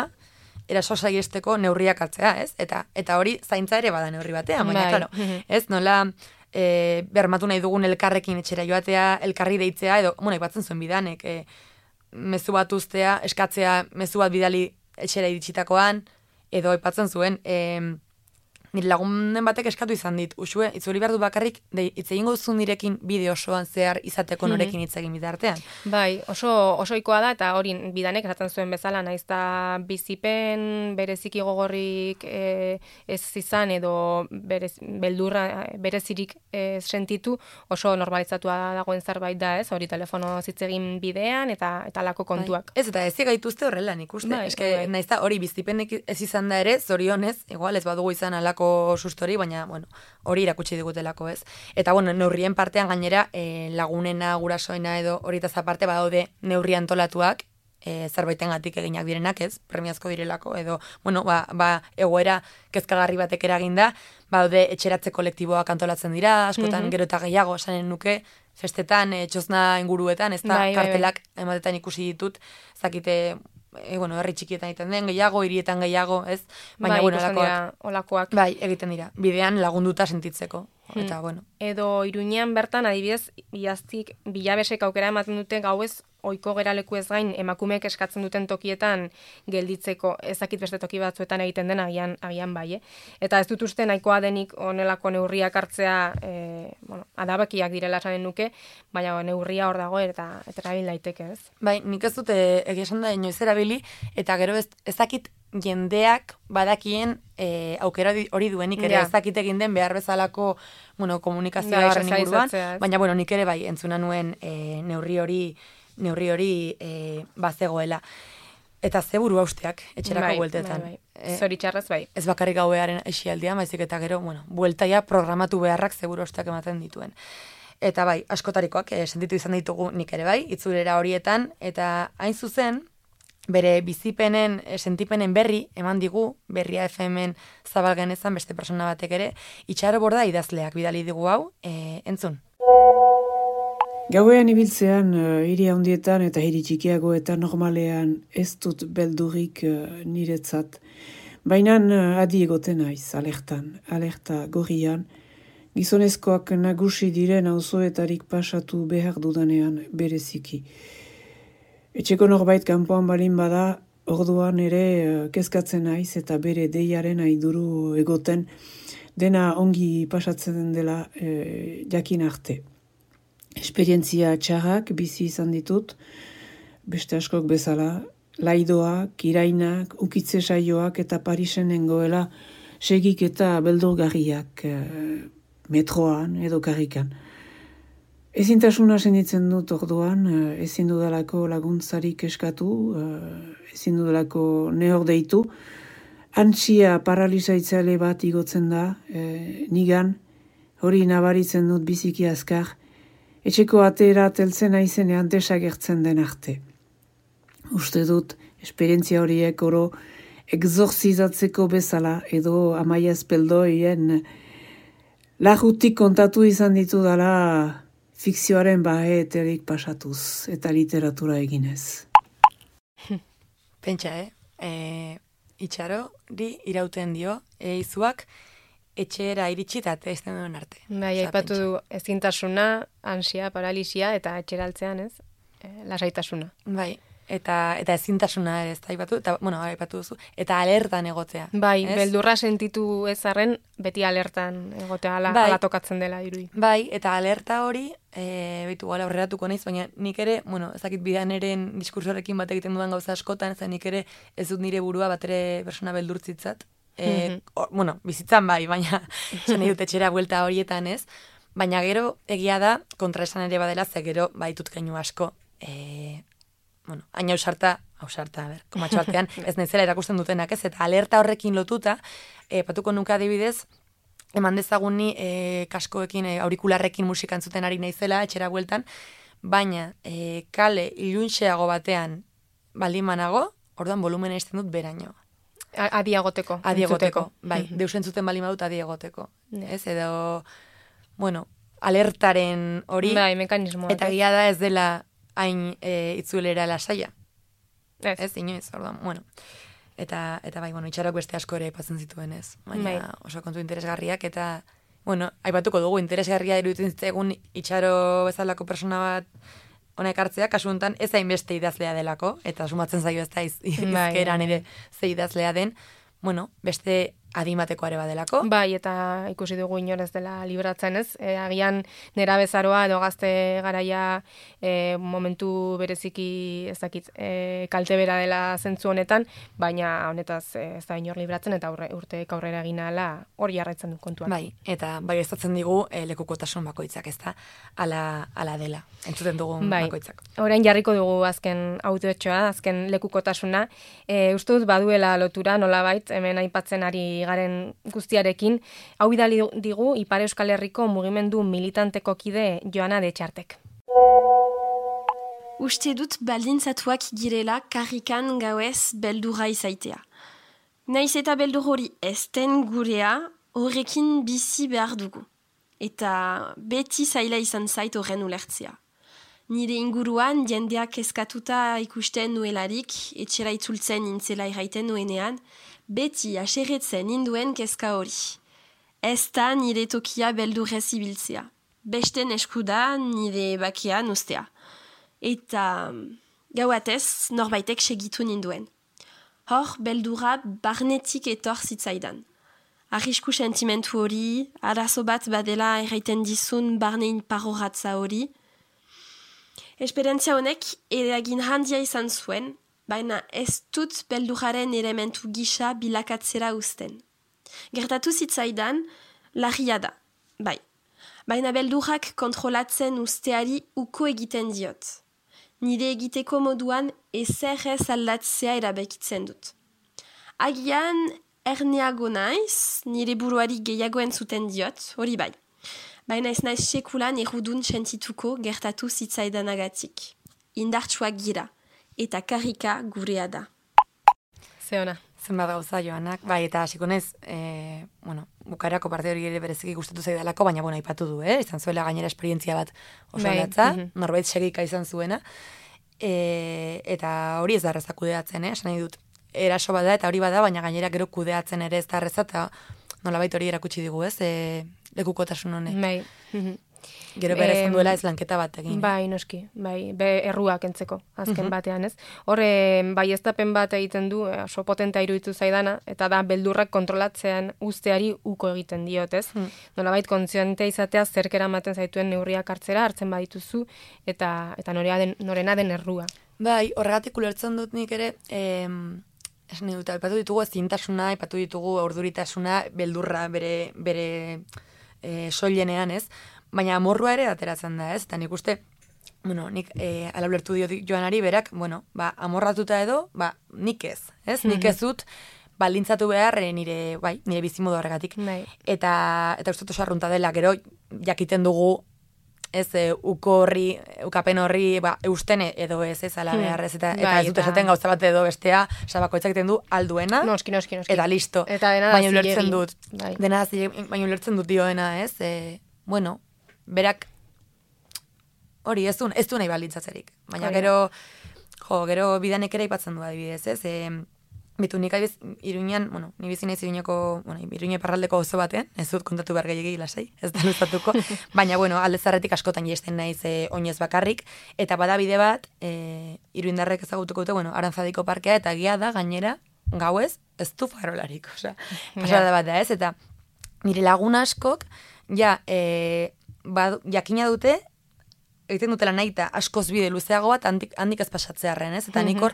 eraso saiesteko neurriak hartzea, ez? Eta eta hori zaintza ere bada neurri batean, baina, Bai. claro, ez, nola e, bermatu nahi dugun elkarrekin etxera joatea, elkarri deitzea, edo, bueno, ipatzen zuen bidanek, e, mezu bat uztea, eskatzea mezu bat bidali etxera iritsitakoan, edo aipatzen zuen, e, nire lagunen batek eskatu izan dit, usue, itzuri behar du bakarrik, de, hitz egingo duzu nirekin bideo osoan zehar izateko norekin hitz egin bitartean. Bai, oso oso ohikoa da, eta hori bidanek esaten zuen bezala, naiz eta bizipen bereziki gogorrik e, ez izan, edo berez, beldurra berezirik e, sentitu, oso normalizatua dagoen zerbait da, ez? Hori telefono hitz egin bidean, eta eta lako kontuak. Bai. Ez, eta ez gaituzte horrela nik uste. Bai, Eske, bai. naiz da hori bizipenek ez izan da ere, zorionez, igual ez badugu izan alako sustori, baina, bueno, hori irakutsi digutelako, ez. Eta, bueno, neurrien partean gainera, e, lagunena, gurasoena edo horietaz aparte badaude neurri antolatuak, e, zerbaitengatik eginak direnak, ez, premiazko direlako, edo, bueno, ba, ba egoera kezkagarri batek eraginda, badaude etxeratze kolektiboak antolatzen dira, askotan Mhm. gero eta gehiago, esanen nuke, festetan, e, txosna inguruetan, ez da, Bai, bai, bai. kartelak ematetan ikusi ditut, zakite, e, bueno, herri txikietan egiten den gehiago, hirietan gehiago, ez? Baina, Bai, bueno, ikusten olakoak, dira olakoak. bai, egiten dira. Bidean lagunduta sentitzeko. Eta, bueno. Edo Iruñean bertan, adibidez, iaztik bilabesek aukera ematen dute gauez ohiko geraleku ez gain emakumeek eskatzen duten tokietan gelditzeko, ezakit beste toki batzuetan egiten den agian agian bai, eh? Eta ez dut uste nahikoa denik honelako neurriak hartzea, e, bueno, adabakiak direla esanen nuke, baina neurria hor dago eta eta erabil daiteke, ez? Bai, nik ez dute egia esan da inoiz erabili, eta gero ez, ezakit jendeak badakien e, aukera di- hori duenik ere, Ja. ez dakit egin den behar bezalako, bueno, komunikazioa Ja, horren inguruan, sozializatzea, ez? baina, bueno, nik ere bai, entzuna nuen e, neurri hori, neurri hori e, bazegoela. Eta ze buru hausteak, etxerako Bai, bueltetan. bai, bai. Eh, Zoritxarrez bai. ez bakarrik gauearen esialdian, baizik eta gero, bueno, bueltaia programatu beharrak seguru osteak ematen dituen. Eta bai, askotarikoak eh, sentitu izan ditugu nik ere bai, itzulera horietan, eta hain zuzen, bere bizipenen, eh, sentipenen berri, eman digu, berria F M-en zabal genezan beste persona batek ere, Itxaro Borda idazleak bidali digu hau, eh, entzun. Gauean ibiltzean, uh, hiri handietan eta hiri txikiagoetan normalean ez dut beldurik uh, niretzat. Baina uh, adi egoten naiz, alertan, alerta gorrian, gizonezkoak nagusi diren auzoetarik pasatu behar dudanean bereziki. Etxeko norbait kanpoan balin bada, orduan ere uh, kezkatzen naiz eta bere deiaren aiduru egoten dena ongi pasatzen dela uh, jakin arte. Esperientzia txarrak bizi izan ditut, beste askok bezala, laidoak, irainak, ukitze saioak eta Parisen nengoela segik eta beldurgarriak eh, metroan edo karrikan. Ezintasuna sentitzen dut orduan, eh, ezin dudalako laguntzarik eskatu, eh, ezin dudalako nehor deitu, antsia paralizaitzale bat igotzen da, eh, nigan, hori nabaritzen dut biziki azkar, etxeko atera teltzen aizenean desagertzen den arte. Uste dut, esperientzia horiek oro exorzizatzeko bezala edo Amaia Espeldoien lagutik kontatu izan ditu dala fikzioaren baheterik pasatuz eta literatura eginez. Pentsa, eh? E, Itxaro, di irauten dio, e, izuak, etxera iritsi eta teizten duen arte. Bai, Osea, aipatu pentsa. du ezintasuna, ansia, paralisia eta etxeraltzean, ez? E, lasaitasuna. Bai, eta eta ezintasuna ere ez da aipatu, eta, bueno, aipatu duzu, eta alertan egotea. Bai, ez? beldurra sentitu ez arren, beti alertan egotea ala, Bai. ala tokatzen dela dirudi. Bai, eta alerta hori, e, baitu gala aurreratuko naiz, baina nik ere, bueno, ez dakit bidaneren diskursorekin bat egiten dudan gauza askotan, ez nik ere ez dut nire burua bat ere persona beldurtzitzat. E, or, bueno, bizitzan bai, baina esan dut etxera buelta horietan ez, baina gero egia da, kontraesan ere badela, ze gero baitut keinu asko, e, bueno, hain ausarta, ausarta, a ber, komatxo artean, ez naizela erakusten dutenak ez, eta alerta horrekin lotuta, e, patuko nuka adibidez, eman dezagun ni e, kaskoekin, e, aurikularrekin musika entzuten ari naizela, etxera bueltan, baina e, kale ilunxeago batean baldin banago, orduan volumena izten dut beraino. Adi egoteko. Adi egoteko, bai. Mhm. Deus entzuten bali madut adi egoteko. Ja. Ez, edo, bueno, alertaren hori. Bai, mekanismoa. Eta gila da ez dela hain e, itzuelera lasaia. Ez. Ez, inoiz, orduan, bueno. Eta, eta bai, bueno, itxarok beste asko ere aipatzen zituen ez. Baina Bai. oso kontu interesgarriak eta, bueno, aipatuko dugu, interesgarria iruditzen zitzaigun itxaro bezalako persona bat honek hartzea, kasu honetan ez hainbeste idazlea delako, eta sumatzen zaio ez da iz, izkeran bai. ere ze idazlea den, bueno, beste adimateko are badelako. Bai, eta ikusi dugu inor ez dela libratzen, ez? E, agian nera bezaroa edo gazte garaia e, momentu bereziki ez dakit, e, kalte bera dela zentzu honetan, baina honetaz e, ez da inor libratzen eta aurre, urteek aurrera egin ahala hori jarraitzen du kontuan. Bai, eta bai estatzen digu e, lekukotasun bakoitzak, ez da, ala, ala dela, entzuten dugun Bai. bakoitzak. Orain jarriko dugu azken autoetxoa, azken lekukotasuna. E, uste dut baduela lotura nolabait, hemen aipatzen ari garen guztiarekin, hau bidali digu Ipar Euskal Herriko mugimendu militanteko kide Joana de Txartek. Uste dut baldintzatuak girela karrikan gauez beldurra izaitea. Naiz eta beldur hori ezten gurea, horrekin bizi behar dugu. Eta beti zaila izan zait horren ulertzea. Nire inguruan jendeak eskatuta ikusten nuelarik, etxera itzultzen nintzela irraiten nuenean, beti aserretzen induen kezka hori. Ez da nire tokia beldurrez ibiltzea. Besten eskuda nire bakean ustea. Eta gauatez norbaitek segitu ninduen. Hor, beldurra barnetik etor zitzaidan. Arrisku sentimentu hori, arazo bat badela erraiten dizun barnein paroratza hori. Esperientzia honek eragin handia izan zuen, baina ez dut beldurraren elementu gisa bilakatzera uzten. Gertatu zitzaidan, larria da, bai. Baina beldurrak kontrolatzen usteari uko egiten diot. Nire egiteko moduan ezer ez aldatzea erabekitzen dut. Agian erneago naiz, nire buruari gehiago entzuten diot, hori bai. Baina ez naiz sekulan errudun sentituko gertatu zitzaidanagatik. Indartsuak gira, eta karrika gurea da. Zeona. Zenbat gauza Joanak, bai, eta hasiko naiz, e, bueno, bukarako parte hori ere bereziki gustatu zaidalako, baina bueno, aipatu du, eh? Izan zuela gainera esperientzia bat oso Bai, latza, mhm. norbait segika izan zuena, e, eta hori ez da erreza kudeatzen, eh? Esan nahi dut, eraso bada eta hori bada, baina gainera gero kudeatzen ere ez da erreza, eta nolabait hori erakutsi digu, ez? E, lekukotasun honek. Bai. Mhm. Gero bere Em, ezin duela ez lanketa bat egin. Bai, noski, bai, be erruak entzeko, azken Mhm. batean, ez? Horre, bai eztapen bat egiten du, eh, oso potentea iruditu zaidana, eta da beldurrak kontrolatzean usteari uko egiten diot, ez? Hmm. Nolabait kontziente izatea zerkera ematen zaituen neurriak hartzera, hartzen badituzu, eta eta norea den, norena den errua. Bai, horregatik ulertzen dut nik ere, em, esan nahi dut, aipatu ditugu ezintasuna, aipatu ditugu aurduritasuna, beldurra bere, bere e, soilenean, ez? Baina amorrua ere ateratzen da, ez? Eta nik uste, bueno, nik e, ala ulertu dio Joanari berak, bueno, ba, amorratuta edo, ba, nik ez, ez? Nik ez dut baldintzatu behar e, nire, bai, nire bizimodu horregatik. Bai. Eta, eta uste oso arrunta dela, gero jakiten dugu, ez, e, uko horri, ukapen horri, ba, eustene edo ez, ez, ala Hmm. behar, ez, eta, eta Bai, ez dut eta- esaten gauza bat edo bestea, sabakoitzak egiten du alduena, Noski, noski, noski. eta listo. Eta dena da baina zilegi. ulertzen dut, Bai. dena zilegi, baina ulertzen dut dioena, ez, e, bueno, berak, hori, ez du, ez du nahi baldintzatzerik. Baina Hori da. gero, jo, gero bidanek ere aipatzen du adibidez, ez, e, bitu nik adibiz, Iruñan, bueno, ni bizi naiz Iruñeko, bueno, Iruña iparraldeko oso batean, ez dut kontatu behar gehiagik lasai, ez da luzatuko, baina, bueno, alde zarretik askotan jesten naiz e, oinez bakarrik, eta bada bide bat, e, iruindarrek ezagutuko dute, bueno, Arantzadiko parkea, eta gia da, gainera, gauez, ez du farolarik, osea, pasada bat da, ez, eta nire lagun askok, ja, e, bad, jakina dute, egiten dutela nahi eta askoz bide luzeago bat handik, handik ez pasatzearren, ez? Eta nik hor,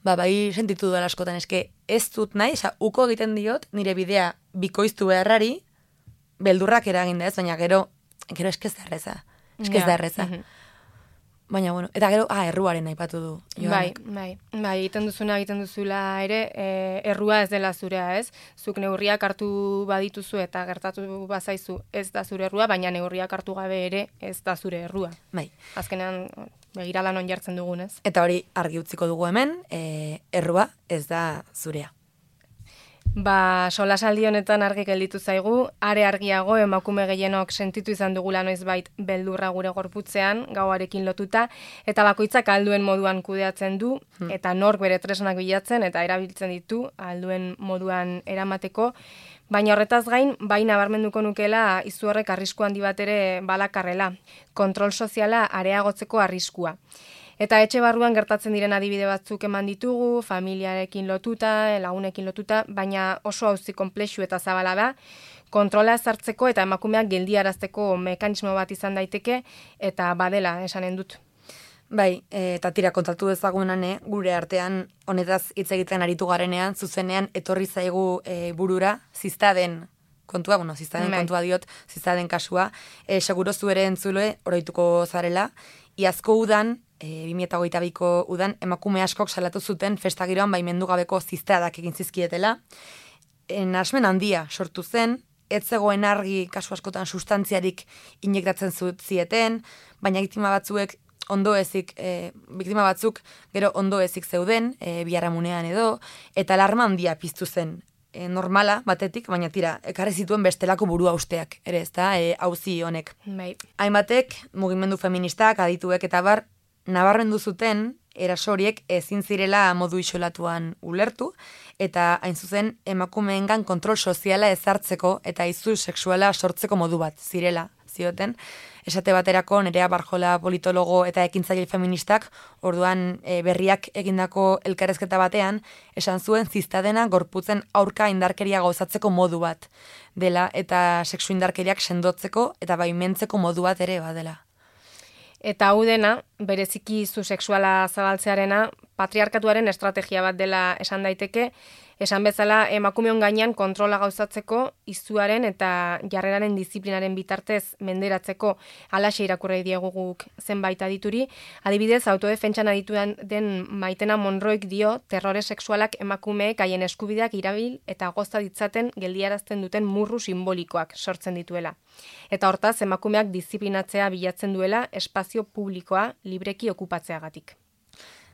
ba, bai sentitu dela askotan, eske ez dut nahi, oza, uko egiten diot, nire bidea bikoiztu beharrari, beldurrak eragin da ez, baina gero, gero eske ez da erreza. Eske ez da erreza. Mhm. Baina, bueno, eta gero, ah, erruaren aipatu du. Bai, Joanek. bai, bai, egiten duzuna egiten duzula ere, e, errua ez dela zurea, ez? Zuk neurriak hartu badituzu eta gertatu bazaizu ez da zure errua, baina neurriak hartu gabe ere ez da zure errua. Bai. Azkenean, begirala non jartzen dugunez. Eta hori argi utziko dugu hemen, e, errua ez da zurea. Ba, solasaldi honetan argi gelditu zaigu, are argiago emakume gehienok sentitu izan dugula noizbait beldurra gure gorputzean, gauarekin lotuta, eta bakoitzak alduen moduan kudeatzen du, eta nork bere tresnak bilatzen eta erabiltzen ditu alduen moduan eramateko, baina horretaz gain, bai nabarmenduko nukela izu horrek arrisku handi bat ere balakarrela, kontrol soziala areagotzeko arriskua. Eta etxe barruan gertatzen diren adibide batzuk eman ditugu, familiarekin lotuta, lagunekin lotuta, baina oso auzi konplexu eta zabala da, kontrola ezartzeko eta emakumeak geldiarazteko mekanismo bat izan daiteke, eta badela esanen dut. Bai, eta tira kontatu dezagunan, eh, gure artean honetaz hitz egiten aritu garenean, zuzenean etorri zaigu e, burura, ziztaden kontua, bueno, ziztaden bai. kontua diot, ziztaden kasua, e, seguro zuere entzule, oroituko zarela, iazko udan, E, bi mila hogeita biko udan, emakume askok salatu zuten festa giroan baimendu gabeko zizteadak egin zizkietela. E, Nahasmen handia sortu zen, ez zegoen argi kasu askotan sustantziarik injektatzen zieten, baina biktima batzuek ondo ezik, e, biktima batzuk gero ondo ezik zeuden, e, biharamunean edo, eta alarma handia piztu zen. E, normala batetik, baina tira, ekarri zituen bestelako burua usteak, ere ez da, e, auzi honek. Bai. Hainbatek, mugimendu feministak, adituek eta bar, nabarmendu zuten erasoriek ezin zirela modu isolatuan ulertu, eta hain zuzen emakumeengan kontrol soziala ezartzeko eta izu sexuala sortzeko modu bat zirela, zioten. Esate baterako Nerea Barjola politologo eta ekintzaile feministak orduan e, berriak egindako elkarrezketa batean esan zuen ziztadena gorputzen aurka indarkeria gauzatzeko modu bat dela eta sexu indarkeriak sendotzeko eta baimentzeko modu bat ere badela. Eta hau dena, bereziki izu sexuala zabaltzearena, patriarkatuaren estrategia bat dela esan daiteke, esan bezala emakumeon gainean kontrola gauzatzeko, izuaren eta jarreraren disiplinaren bitartez menderatzeko alaxe irakurri diegu guk zenbait adituri. Adibidez, autodefentsan adituan den Maitena Monroik dio terrore sexualak emakumeek haien eskubideak irabil eta goza ditzaten geldiarazten duten murru simbolikoak sortzen dituela. Eta hortaz, emakumeak disiplinatzea bilatzen duela espazio publikoa libreki okupatzeagatik.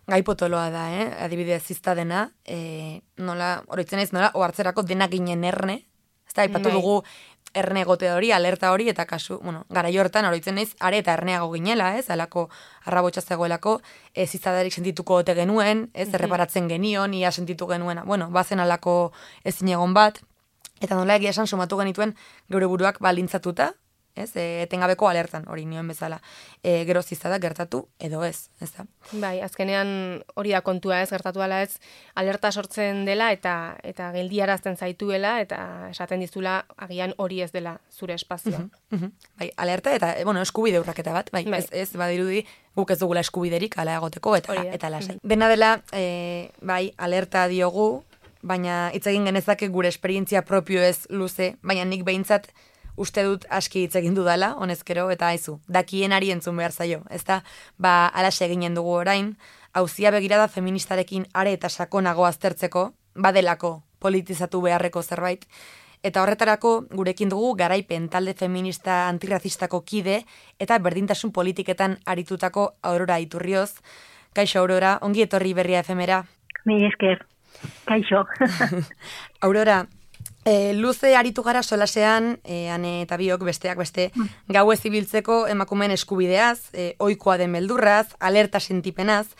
Gai potoloa da, eh? Adibidez ziztadena, e, nola, oroitzen naiz, nola, ohartzerako dena ginen erne, ez da, aipatu Bai. dugu erne egote hori, alerta hori, eta kasu, bueno, gara hortan oroitzen naiz, are eta erneago ginela, ez, alako arrabotsa zegoelako, ez ziztadarik sentituko ote genuen, ez, erreparatzen genion, ia sentitu genuena, bueno, bazen alako ezin egon bat, eta nola egia esan sumatu genituen geure buruak balintzatuta, ez, e, etengabeko alertan, hori nioen bezala, e, gero ziztadak gertatu, edo ez, ez da. Bai, azkenean hori da kontua ez, gertatu ala ez, alerta sortzen dela eta eta geldiarazten zaituela eta esaten dizula agian hori ez dela zure espazioa. Uh -huh. Bai, alerta eta, bueno, eskubide urraketa bat, bai, Bai. ez, ez badirudi guk ez dugula eskubiderik ala egoteko eta, Hori da. eta lasai. Dena dela, e, bai, alerta diogu, baina hitz egin genezake gure esperientzia propio ez luze, baina nik behintzat uste dut aski hitz egin dudala, honezkero, eta aizu, dakienari entzun behar zaio, ezta, ba, alaxe eginen dugu orain, auzia begirada feministarekin are eta sakonago aztertzeko, badelako politizatu beharreko zerbait, eta horretarako gurekin dugu garaipen talde feminista antirrazistako kide eta berdintasun politiketan aritutako Aurora Iturrioz. Kaixo Aurora, ongi etorri Berria F M-era. Mi esker, kaixo. Aurora, E, luze aritu gara solasean, e, ane eta biok besteak beste, gau ez ibiltzeko emakumeen eskubideaz, e, ohikoa den beldurraz, alerta sentipenaz.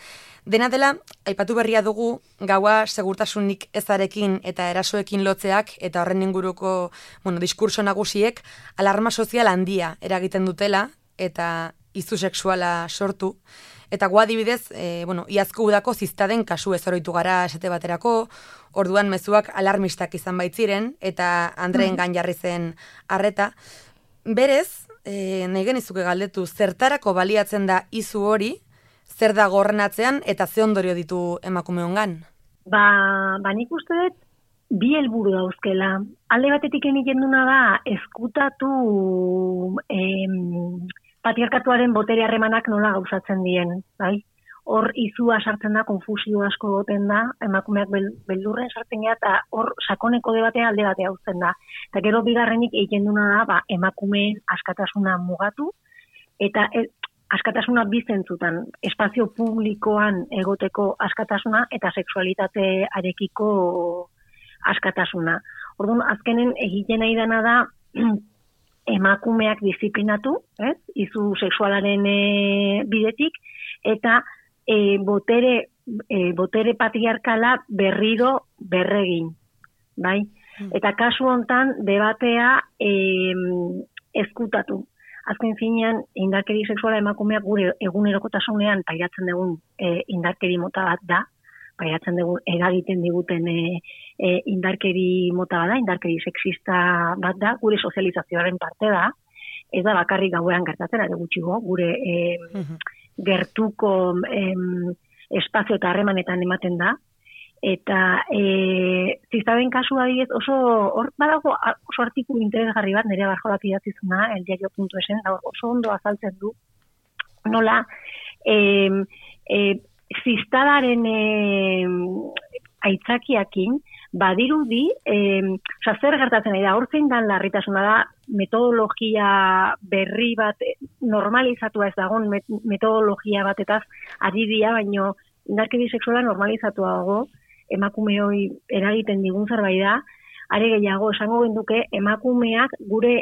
Dena dela, aipatu berria dugu, gaua segurtasunik ezarekin eta erasoekin lotzeak, eta horren inguruko, bueno, diskurso nagusiek, alarma sozial handia eragiten dutela, eta izu sexuala sortu. Eta gu adibidez, e, bueno, iazko udako ziztaden kasu ez oroitu gara esate baterako, orduan mezuak alarmistak izan baitziren, eta Andreen gan jarri zen arreta. Berez, e, nahi genizuke galdetu, zertarako baliatzen da izu hori, zer da gorrenatzean eta ze ondorio ditu emakumeongan? Ba, ba nik uste dut, bi helburu dauzkela. Alde batetik egiten duna da, eskutatu em, patriarkatuaren botere harremanak nola gauzatzen dien, bai? Hor izua sartzen da, konfusio asko goten da, emakumeak bel, beldurren sartzen gara, eta hor sakoneko debatea alde batea uzten da. Eta gero bigarrenik egiten duna da, ba, emakumeen askatasuna mugatu, eta e, askatasuna bizentzutan, espazio publikoan egoteko askatasuna, eta sexualitate arekiko askatasuna. Orduan, azkenen egiten nahi dena da emakumeak disiplinatu, ez? Izu sexualaren e, bidetik, eta e, botere, e, botere patriarkala berriro berregin, bai? Eta kasu hontan debatea e, ezkutatu. Azken finean, indarkeri sexuala emakumeak gure egunerokotasunean pairatzen dugun e, indarkeri mota bat da, pairatzen dugun eragiten diguten e, e, indarkeri mota bat da, indarkeri sexista bat da, gure sozializazioaren parte da, ez da bakarrik gauean gertatzen, ere gutxigo, gure e, gertuko e, espazio eta harremanetan ematen da, eta e, ziztaben kasu adibidez oso, hor badago oso artikulu interesgarri bat, nire barjolak idatzizuna, eldiario puntu esen, oso ondo azaltzen du, nola, e, e, ziztadaren e, aitzakiakin, badirudi, e, oza, zer gertatzen da, hor zein dan larritasuna da, metodologia berri bat, normalizatua ez dagoen metodologia batetaz ari dira, baino indarkeri sexuala normalizatua dago, emakume hori eragiten digun zerbait da, are gehiago esango genduke emakumeak gure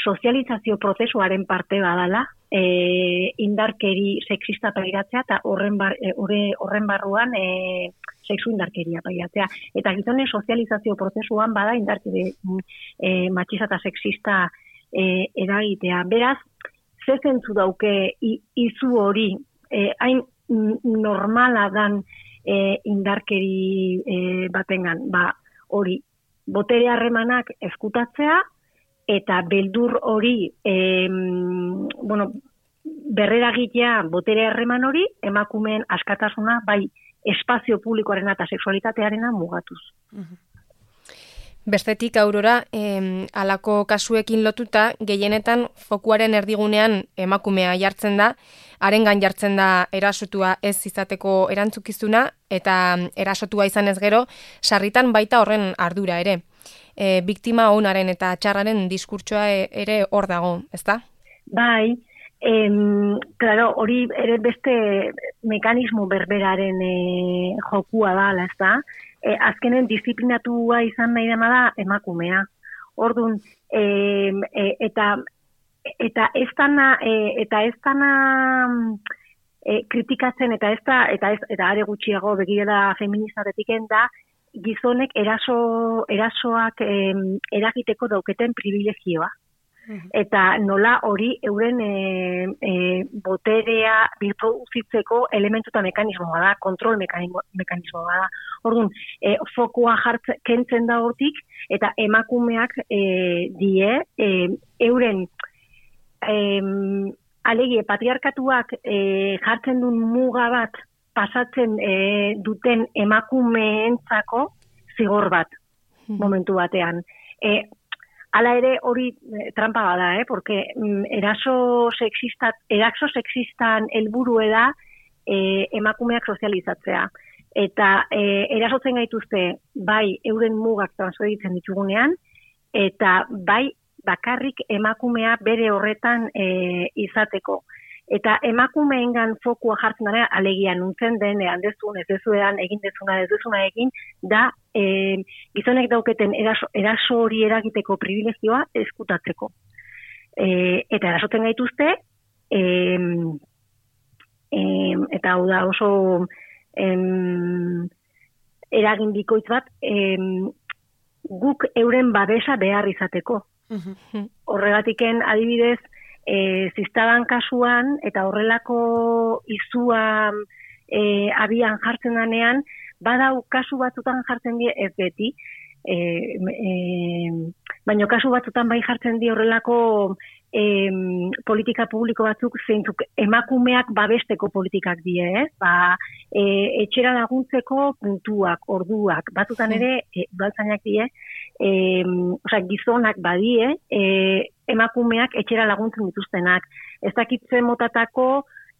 sozializazio prozesuaren parte badala, e, indarkeri sexista pairatzea eta horren, bar, e, horren barruan e, sexu indarkeria pairatzea. Eta gizonen sozializazio prozesuan bada indarkeri e, matxista eta sexista e, eragitea. Beraz, ze zentzu dauke izu hori, e, hain normala dan e, indarkeri e, batengan, ba, hori, botere harremanak eskutatzea, eta beldur hori, e, bueno, berreragitea botere harreman hori, emakumeen askatasuna, bai, espazio publikoarena eta sexualitatearena mugatuz. Bestetik, Aurora, eh, alako kasuekin lotuta, gehienetan fokuaren erdigunean emakumea jartzen da, harengan jartzen da erasotua ez izateko erantzukizuna, eta erasotua izan ez gero, sarritan baita horren ardura ere. E, biktima onaren eta txarraren diskurtsoa ere hor dago, ezta? Bai, em, claro, hori ere beste mekanismo berberaren e, jokua da, ezta? E, azkenen disiplinatua izan nahi dena da emakumea. Orduan, e, e, eta eta ez dana, e, eta ez dana e, kritikatzen, eta ez da, eta ez, eta are gutxiago begirada feministatetik da, gizonek eraso, erasoak e, eragiteko dauketen privilegioa. Eta nola hori euren e, e, boterea birproduzitzeko elementu eta mekanismoa da, kontrol mekanismoa da. Orduan, e, fokua jartzen, kentzen da hortik, eta emakumeak e, die, e, euren e, alegie patriarkatuak e, jartzen duen muga bat pasatzen e, duten emakumeentzako zigor bat, momentu batean. E, Hala ere hori eh, trampa bada, eh? Porque mm, eraso sexista, eraso sexistan helburue da eh, emakumeak sozializatzea. Eta eh, erasotzen gaituzte bai euren mugak transferitzen ditugunean, eta bai bakarrik emakumea bere horretan eh, izateko. Eta emakumeengan fokua jartzen dara, alegia nuntzen den, handezun, ez dezuean, egin dezuna, ez dezuna egin, da e, gizonek dauketen eraso, eraso hori eragiteko privilegioa eskutatzeko. E, eta erasotzen gaituzte, e, e, eta hau da oso em, eragin bikoitz bat, em, guk euren babesa behar izateko. Horregatiken adibidez, E, ziztaban kasuan, eta horrelako izua e, abian jartzen danean, badau kasu batzutan jartzen die ez beti, e, e, baina kasu batzutan bai jartzen die horrelako e, politika publiko batzuk zeintzuk emakumeak babesteko politikak die, ez? Ba, e, etxera laguntzeko puntuak, orduak, batzutan ere, e, baltzainak die, e, osea, gizonak badie, e, emakumeak etxera laguntzen dituztenak. Ez dakitzen motatako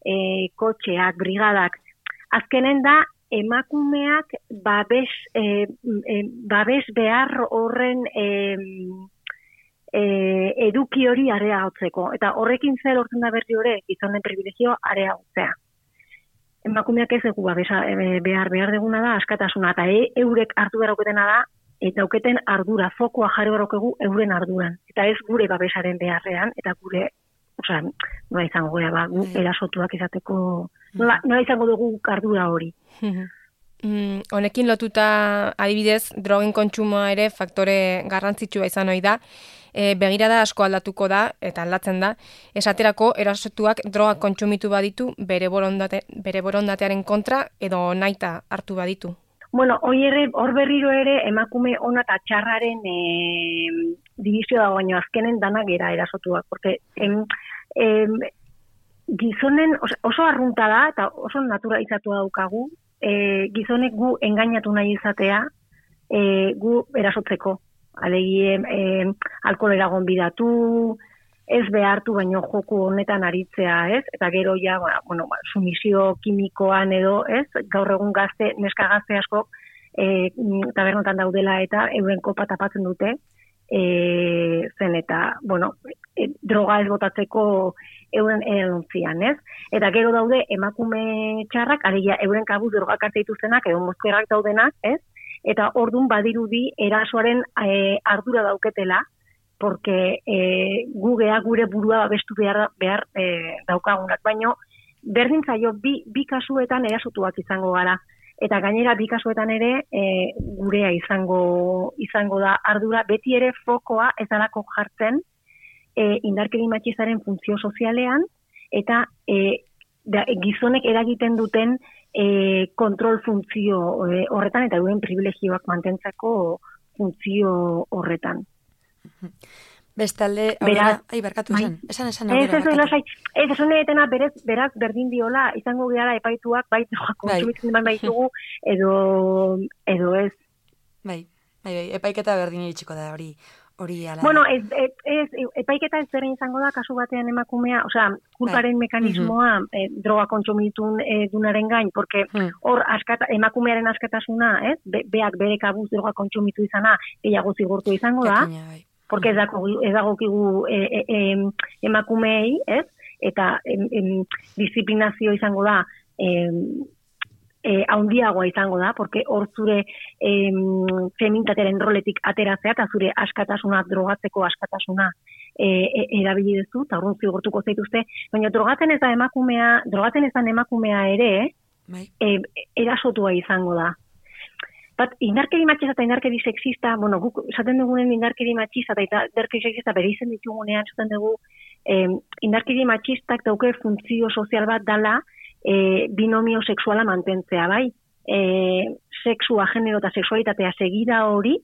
e, kotxeak, brigadak. Azkenen da, emakumeak babes, e, e, babes behar horren e, e, eduki hori areagotzeko. Eta horrekin zer lortzen da berri hori, gizonen privilegio areagotzea. Emakumeak ez dugu babesa e, behar behar deguna da, askatasuna. Eta e, eurek hartu behar oketena da, eta dauketen ardura, fokoa jarri barokegu euren arduran. Eta ez gure babesaren beharrean, eta gure, osea, nola izango gara, ba, gu erasotuak izateko, nola, nola izango dugu ardura hori. Mm, honekin lotuta adibidez, drogen kontsumoa ere faktore garrantzitsua izan ohi da. E, begirada asko aldatuko da, eta aldatzen da, esaterako erasotuak droga kontsumitu baditu bere, borondate, bere borondatearen kontra edo naita hartu baditu. Bueno, hori ere, hor berriro ere emakume ona eta txarraren e, divisio dago, baino azkenen danak gera erasotuak, porque em, em, gizonen oso, oso arrunta da eta oso naturalizatu daukagu, e, gizonek gu engainatu nahi izatea, e, gu erasotzeko. Alegi, e, alkoholera gonbidatu, ez behartu baino joku honetan aritzea, ez? Eta gero ja, bueno, sumisio kimikoan edo, ez? Gaur egun gazte, neska gazte asko, e, tabernotan daudela eta euren kopa tapatzen dute, e, zen eta, bueno, e, droga ez botatzeko euren edontzian, ez? Eta gero daude emakume txarrak, alegia euren kabuz drogak hartu dituztenak, edo mozkerrak daudenak, ez? Eta ordun badirudi erasoaren e, ardura dauketela, porque e, gugea gure burua babestu behar, behar e, daukagunak. Baino, berdin zaio, bi, bi kasuetan erasotuak izango gara. Eta gainera, bi kasuetan ere e, gurea izango, izango da ardura. Beti ere fokoa ez dalako jartzen e, indarkeri matxistaren funtzio sozialean, eta e, da, gizonek eragiten duten E, kontrol funtzio e, horretan eta duen privilegioak mantentzako funtzio horretan. Bestalde, aurrera, ai, barkatu esan, esan, esan, aurrera, barkatu. Ez, ez, ez, esan edetena berez, beraz berdin diola, izango gara epaituak, bai, kontsumitzen eman baitugu, edo, edo ez. Bai, bai, bai, epaiketa berdin iritsiko da, hori, hori ala. Bueno, ez, ez, ez, epaiketa ez berdin izango da, kasu batean emakumea, osea, kulparen bai. Mekanismoa uh-huh. eh, droga kontsumitun eh, dunaren gain, porque hor uh-huh. askata, emakumearen askatasuna, ez, Be, beak bere kabuz droga kontsumitu izana, gehiago zigortu izango da, Ekina, bai. Porque ez dago, ez dagokigu e, e, e, emakumeei, ez, eta em, em, disiplinazio izango da, em, E, haundiagoa izango da, porque hor zure em, feminitatearen roletik ateratzea, eta zure askatasuna, drogatzeko askatasuna e, e, erabili duzu, eta horren zigortuko zaituzte, baina drogatzen ez da emakumea, drogatzen ez da emakumea ere, e, erasotua izango da. Bat, indarkeri matxista eta indarkeri sexista, bueno, guk esaten dugunen indarkeri matxista eta indarkeri sexista bere izen ditugunean, esaten dugu, eh, indarkeri matxistak dauke funtzio sozial bat dala, E, binomio sexuala mantentzea, bai? E, sexua, genero eta sexualitatea segida hori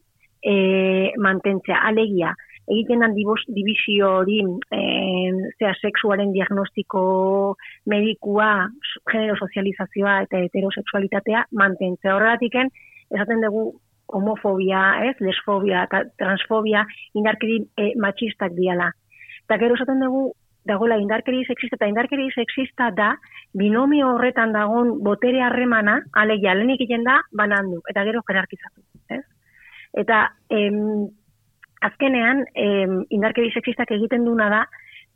e, mantentzea, alegia. Egiten dan dibizio hori, e, zera, sexuaren diagnostiko medikua, genero sozializazioa eta heterosexualitatea mantentzea. Horregatiken, esaten dugu homofobia, ez, lesfobia eta transfobia indarkeri e, matxistak diala. Eta gero esaten dugu, dagoela indarkeri sexista eta indarkeri sexista da binomio horretan dagoen botere harremana, alegia, lehenik egiten da, banandu, eta gero jerarkizatu. Ez? Eta em, azkenean, em, indarkeri sexistak egiten duna da,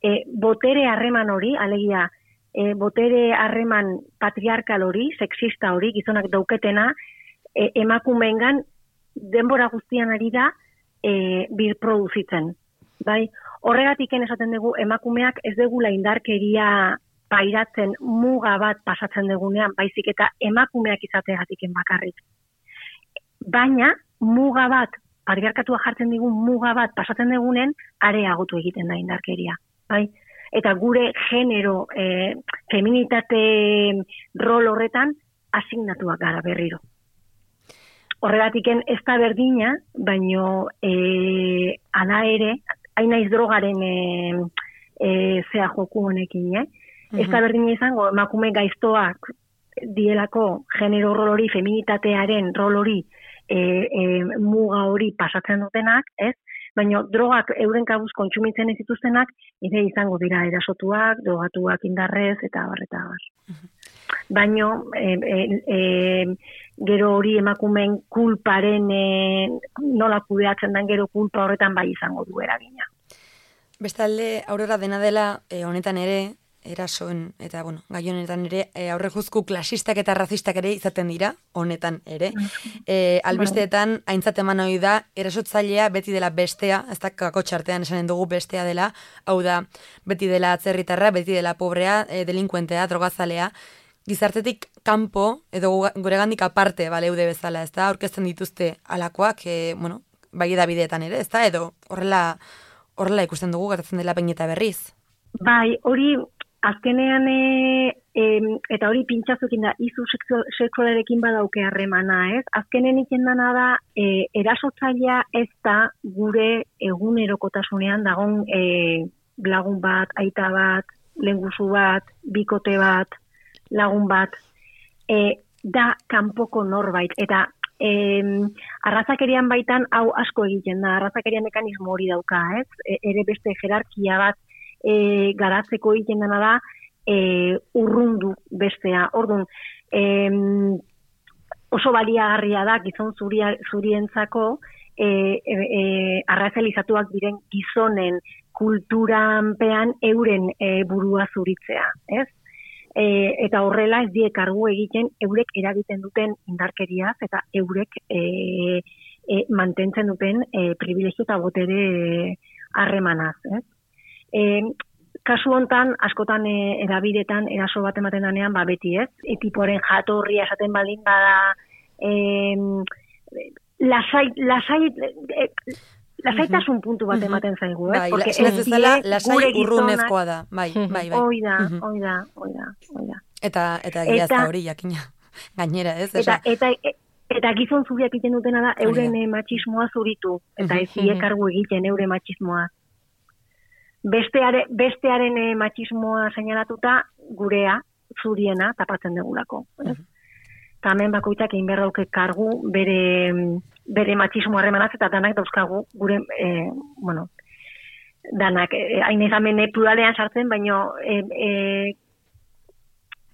e, botere harreman hori, alegia, e, botere harreman patriarkal hori, sexista hori, gizonak dauketena, e, emakumeengan denbora guztian ari da e, birproduzitzen. Bai? Horregatik esaten dugu emakumeak ez degula indarkeria pairatzen muga bat pasatzen dugunean, baizik eta emakumeak izateagatik bakarrik. Baina muga bat, patriarkatua jartzen digun muga bat pasatzen dugunen, areagotu egiten da indarkeria. Bai? Eta gure genero, e, feminitate rol horretan asignatuak gara berriro. Horregatik ez da berdina, baino e, ala ere, hain naiz drogaren e, e, zea joku honekin, eh? Uh-huh. Ez da berdina izango, emakume gaiztoak dielako genero rol hori, feminitatearen rol hori, e, e, muga hori pasatzen dutenak, ez? Baina drogak euren kabuz kontsumitzen ez dituztenak, ere izango dira erasotuak, drogatuak indarrez, eta barreta bar. Uh-huh. Baina, e, e, e, gero hori emakumeen kulparen e, nola kudeatzen den gero kulpa horretan bai izango du eragina. Bestalde, Aurora dena dela, e, honetan ere, erasoen, eta, bueno, gai honetan ere, e, aurreguzku klasistak eta razistak ere izaten dira, honetan ere. E, albisteetan, aintzat eman hori da, erasotzailea beti dela bestea, ez da kakotxartean esanen dugu bestea dela, hau da, beti dela atzerritarra, beti dela pobrea, e, delinkuentea, drogazalea, gizartetik kanpo, edo guregandik aparte, baleude bezala, ez da, aurkezten dituzte alakoak, e, bueno, bai edabideetan ere, ez da, edo horrela, horrela ikusten dugu, gertatzen dela Behin eta Berriz. Bai, hori azkenean e, e, eta hori pintxazukin da, izu sexualarekin badauke harremana, ez? Azkenen iken dana da, e, erasotzailea ez da gure egunerokotasunean dagon e, lagun bat, aita bat, lenguzu bat, bikote bat, lagun bat, e, da kanpoko norbait, eta e, arrazakerian baitan hau asko egiten da, arrazakerian mekanismo hori dauka, ez? E, ere beste jerarkia bat E, garatzeko egiten dena da e, urrundu bestea. Orduan, e, oso baliagarria da gizon zuria, zurientzako e, e, e, arrazalizatuak diren gizonen kulturanpean euren e, burua zuritzea, ez? E, eta horrela ez die kargu egiten eurek eragiten duten indarkeriaz eta eurek e, e, mantentzen duten e, privilegio eta botere harremanaz, ez? E, kasu hontan, askotan e, erabidetan, eraso bat ematen danean, ba beti ez, e, tipoaren jatorria esaten baldin bada, e, lasai, lasai, e, lasaitasun puntu bat ematen zaigu, ez? Bai, porque la, ez dela, lasai gure urrunezkoa da, bai, bai, bai. Hoi da, hoi da, hoi da, hoi da. Eta, eta egia ez da hori, jakina, gainera, ez? Eta, eta, eta, eta gizon zuriak egiten dutena da, euren e, matxismoa zuritu, eta ez die kargu egiten eure matxismoa. Besteare, bestearen e, matxismoa seinalatuta gurea, zuriena, tapatzen degulako. Uh-huh. Eta hemen bakoitzak egin behar dauke kargu bere, bere matxismo harremanaz eta danak dauzkagu gure, e, bueno, danak, e, hain ezamen pluralean sartzen, baino e, e,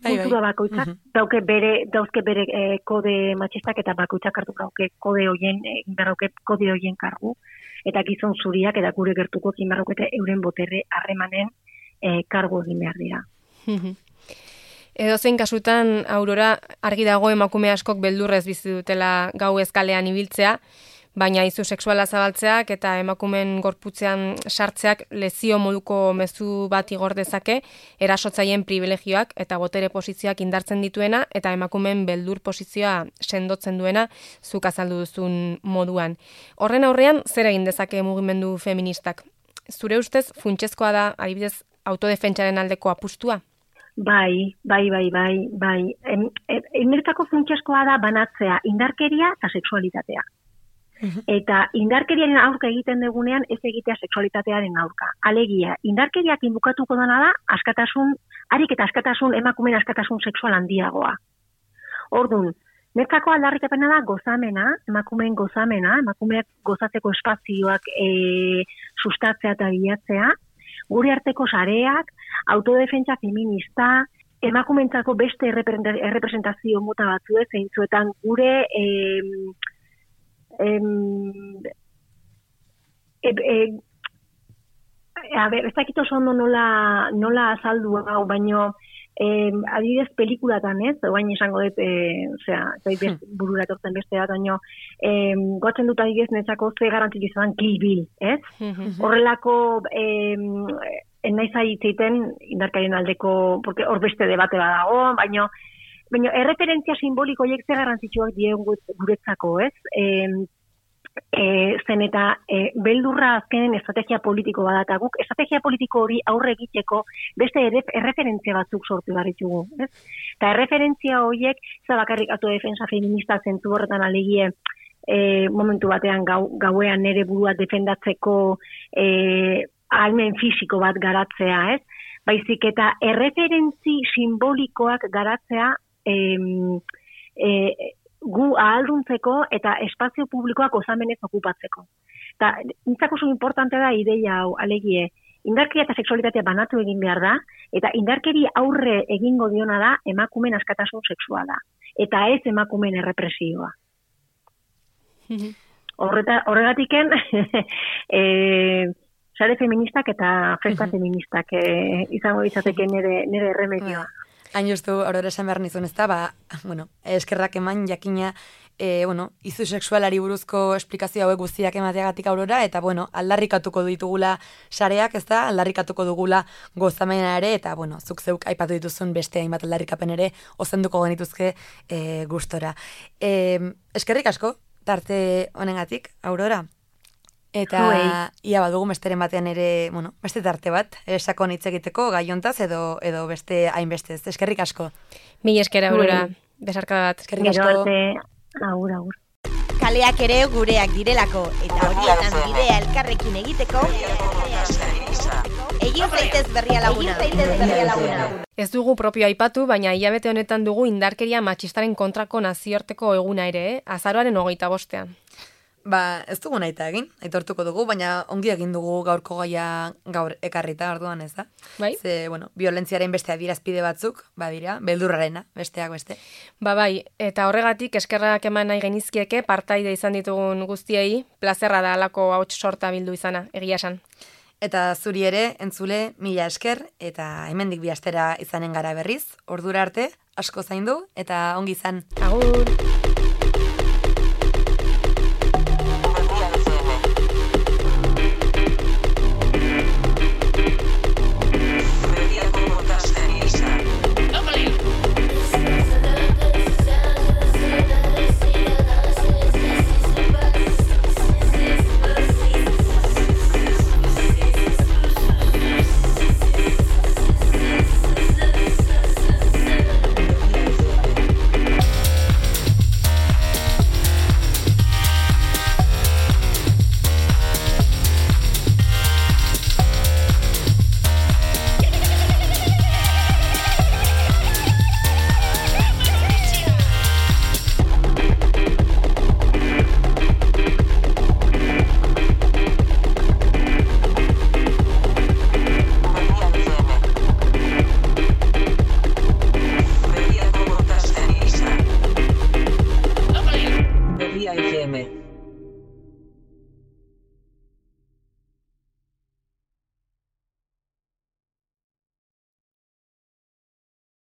kultura bakoitzak uh-huh. dauke bere, dauzke bere e, kode matxistak eta bakoitzak hartu dauke kode hoien, egin behar dauke kode hoien kargu. Eta gizon zuriak eta gure gertuko zimarrokete euren boterre harremanen e, kargo egin behar dira. Edo zein kasutan, Aurora, argi dago emakume askok beldurrez bizi dutela gau ezkalean ibiltzea, baina izu sexuala zabaltzeak eta emakumeen gorputzean sartzeak lezio moduko mezu bat igor dezake, erasotzaien privilegioak eta botere posizioak indartzen dituena eta emakumeen beldur posizioa sendotzen duena zuk azaldu duzun moduan. Horren aurrean, zer egin dezake mugimendu feministak? Zure ustez, funtsezkoa da, adibidez, autodefentsaren aldeko apustua? Bai, bai, bai, bai, bai. Enmertako funtsezkoa da banatzea indarkeria eta sexualitatea. Eta indarkeriaren aurka egiten dugunean ez egitea sexualitatearen aurka. Alegia, indarkeriak inbukatuko dena da askatasun, harik eta askatasun, emakumeen askatasun sexual handiagoa. Orduan, netzako aldarrikapena da gozamena, emakumeen gozamena, emakumeak gozatzeko espazioak e, sustatzea eta bilatzea, gure arteko sareak, autodefentsa feminista, emakumeentzako beste errepresentazio mota batzu ez, zeintzuetan gure e, Em, e, e, a ber, ez dakit oso ondo nola, nola azaldu hau, baino em, adibidez pelikulatan ez, oain esango dut, e, osea, ez burura etortzen beste bat, baino em, goatzen dut adibidez netzako ze garantzik izan Kill Bill, ez? Horrelako em, enaiz aitzeiten indarkarien aldeko, porque hor beste debate badago, baino Baina, erreferentzia simboliko horiek ze garrantzitsuak dien guretzako, ez? E, e, zen eta e, beldurra azkenen estrategia politiko badata guk, estrategia politiko hori aurre egiteko beste erreferentzia batzuk sortu barritugu, ez? Eta erreferentzia horiek, zabakarrik autodefensa feminista zentzu horretan alegie, e, momentu batean gau, gauean nere burua defendatzeko e, ahalmen fisiko bat garatzea, ez? Baizik eta erreferentzi simbolikoak garatzea E, e, gu ahalduntzeko eta espazio publikoak osamenez okupatzeko. Eta nintzako oso importante da ideia hau, alegie, indarkeria eta sexualitatea banatu egin behar da, eta indarkeri aurre egingo diona da emakumeen askatasun sexuala, eta ez emakumeen errepresioa. Horreta, horregatiken, e, sare feministak eta festa feministak e, izango izateke nire, nire erremedioa. Hain justu, Aurora esan behar nizun ez da, ba, bueno, eskerrak eman jakina, e, bueno, izu sexualari buruzko esplikazio hauek guztiak emateagatik Aurora, eta, bueno, aldarrikatuko ditugula sareak, ez da, aldarrikatuko dugula gozamena ere, eta, bueno, zuk zeuk aipatu dituzun beste hainbat aldarrikapen ere, ozenduko genituzke e, gustora. E, eskerrik asko, tarte honengatik, Aurora. Eta ia badugu besteren batean ere, bueno, beste tarte bat, esakon hitz egiteko gaiontaz edo edo beste hainbeste. Eskerrik asko. Mil esker Aurora, besarkada bat. Eskerrik asko. Agur, agur. Kaleak ere gureak direlako, eta horietan bidea elkarrekin egiteko, egin zaitez berria laguna. Ez dugu propio aipatu, baina hilabete honetan dugu indarkeria matxistaren kontrako nazioarteko eguna ere, eh? Azaroaren hogeita bostean. Ba, ez dugu nahi egin, aitortuko dugu, baina ongi egin dugu gaurko gaia gaur ekarrita orduan, ez da? Bai? Ze, bueno, violentziaren beste adierazpide batzuk, badira, beldurrarena, besteak beste. Ba bai, eta horregatik eskerrak eman nahi genizkieke partaide izan ditugun guztiei, plazerra da alako hauts sorta bildu izana, egia esan. Eta zuri ere, entzule, mila esker, eta hemendik bi astera izanen gara berriz, ordura arte, asko zaindu, eta ongi izan. Agur! F M.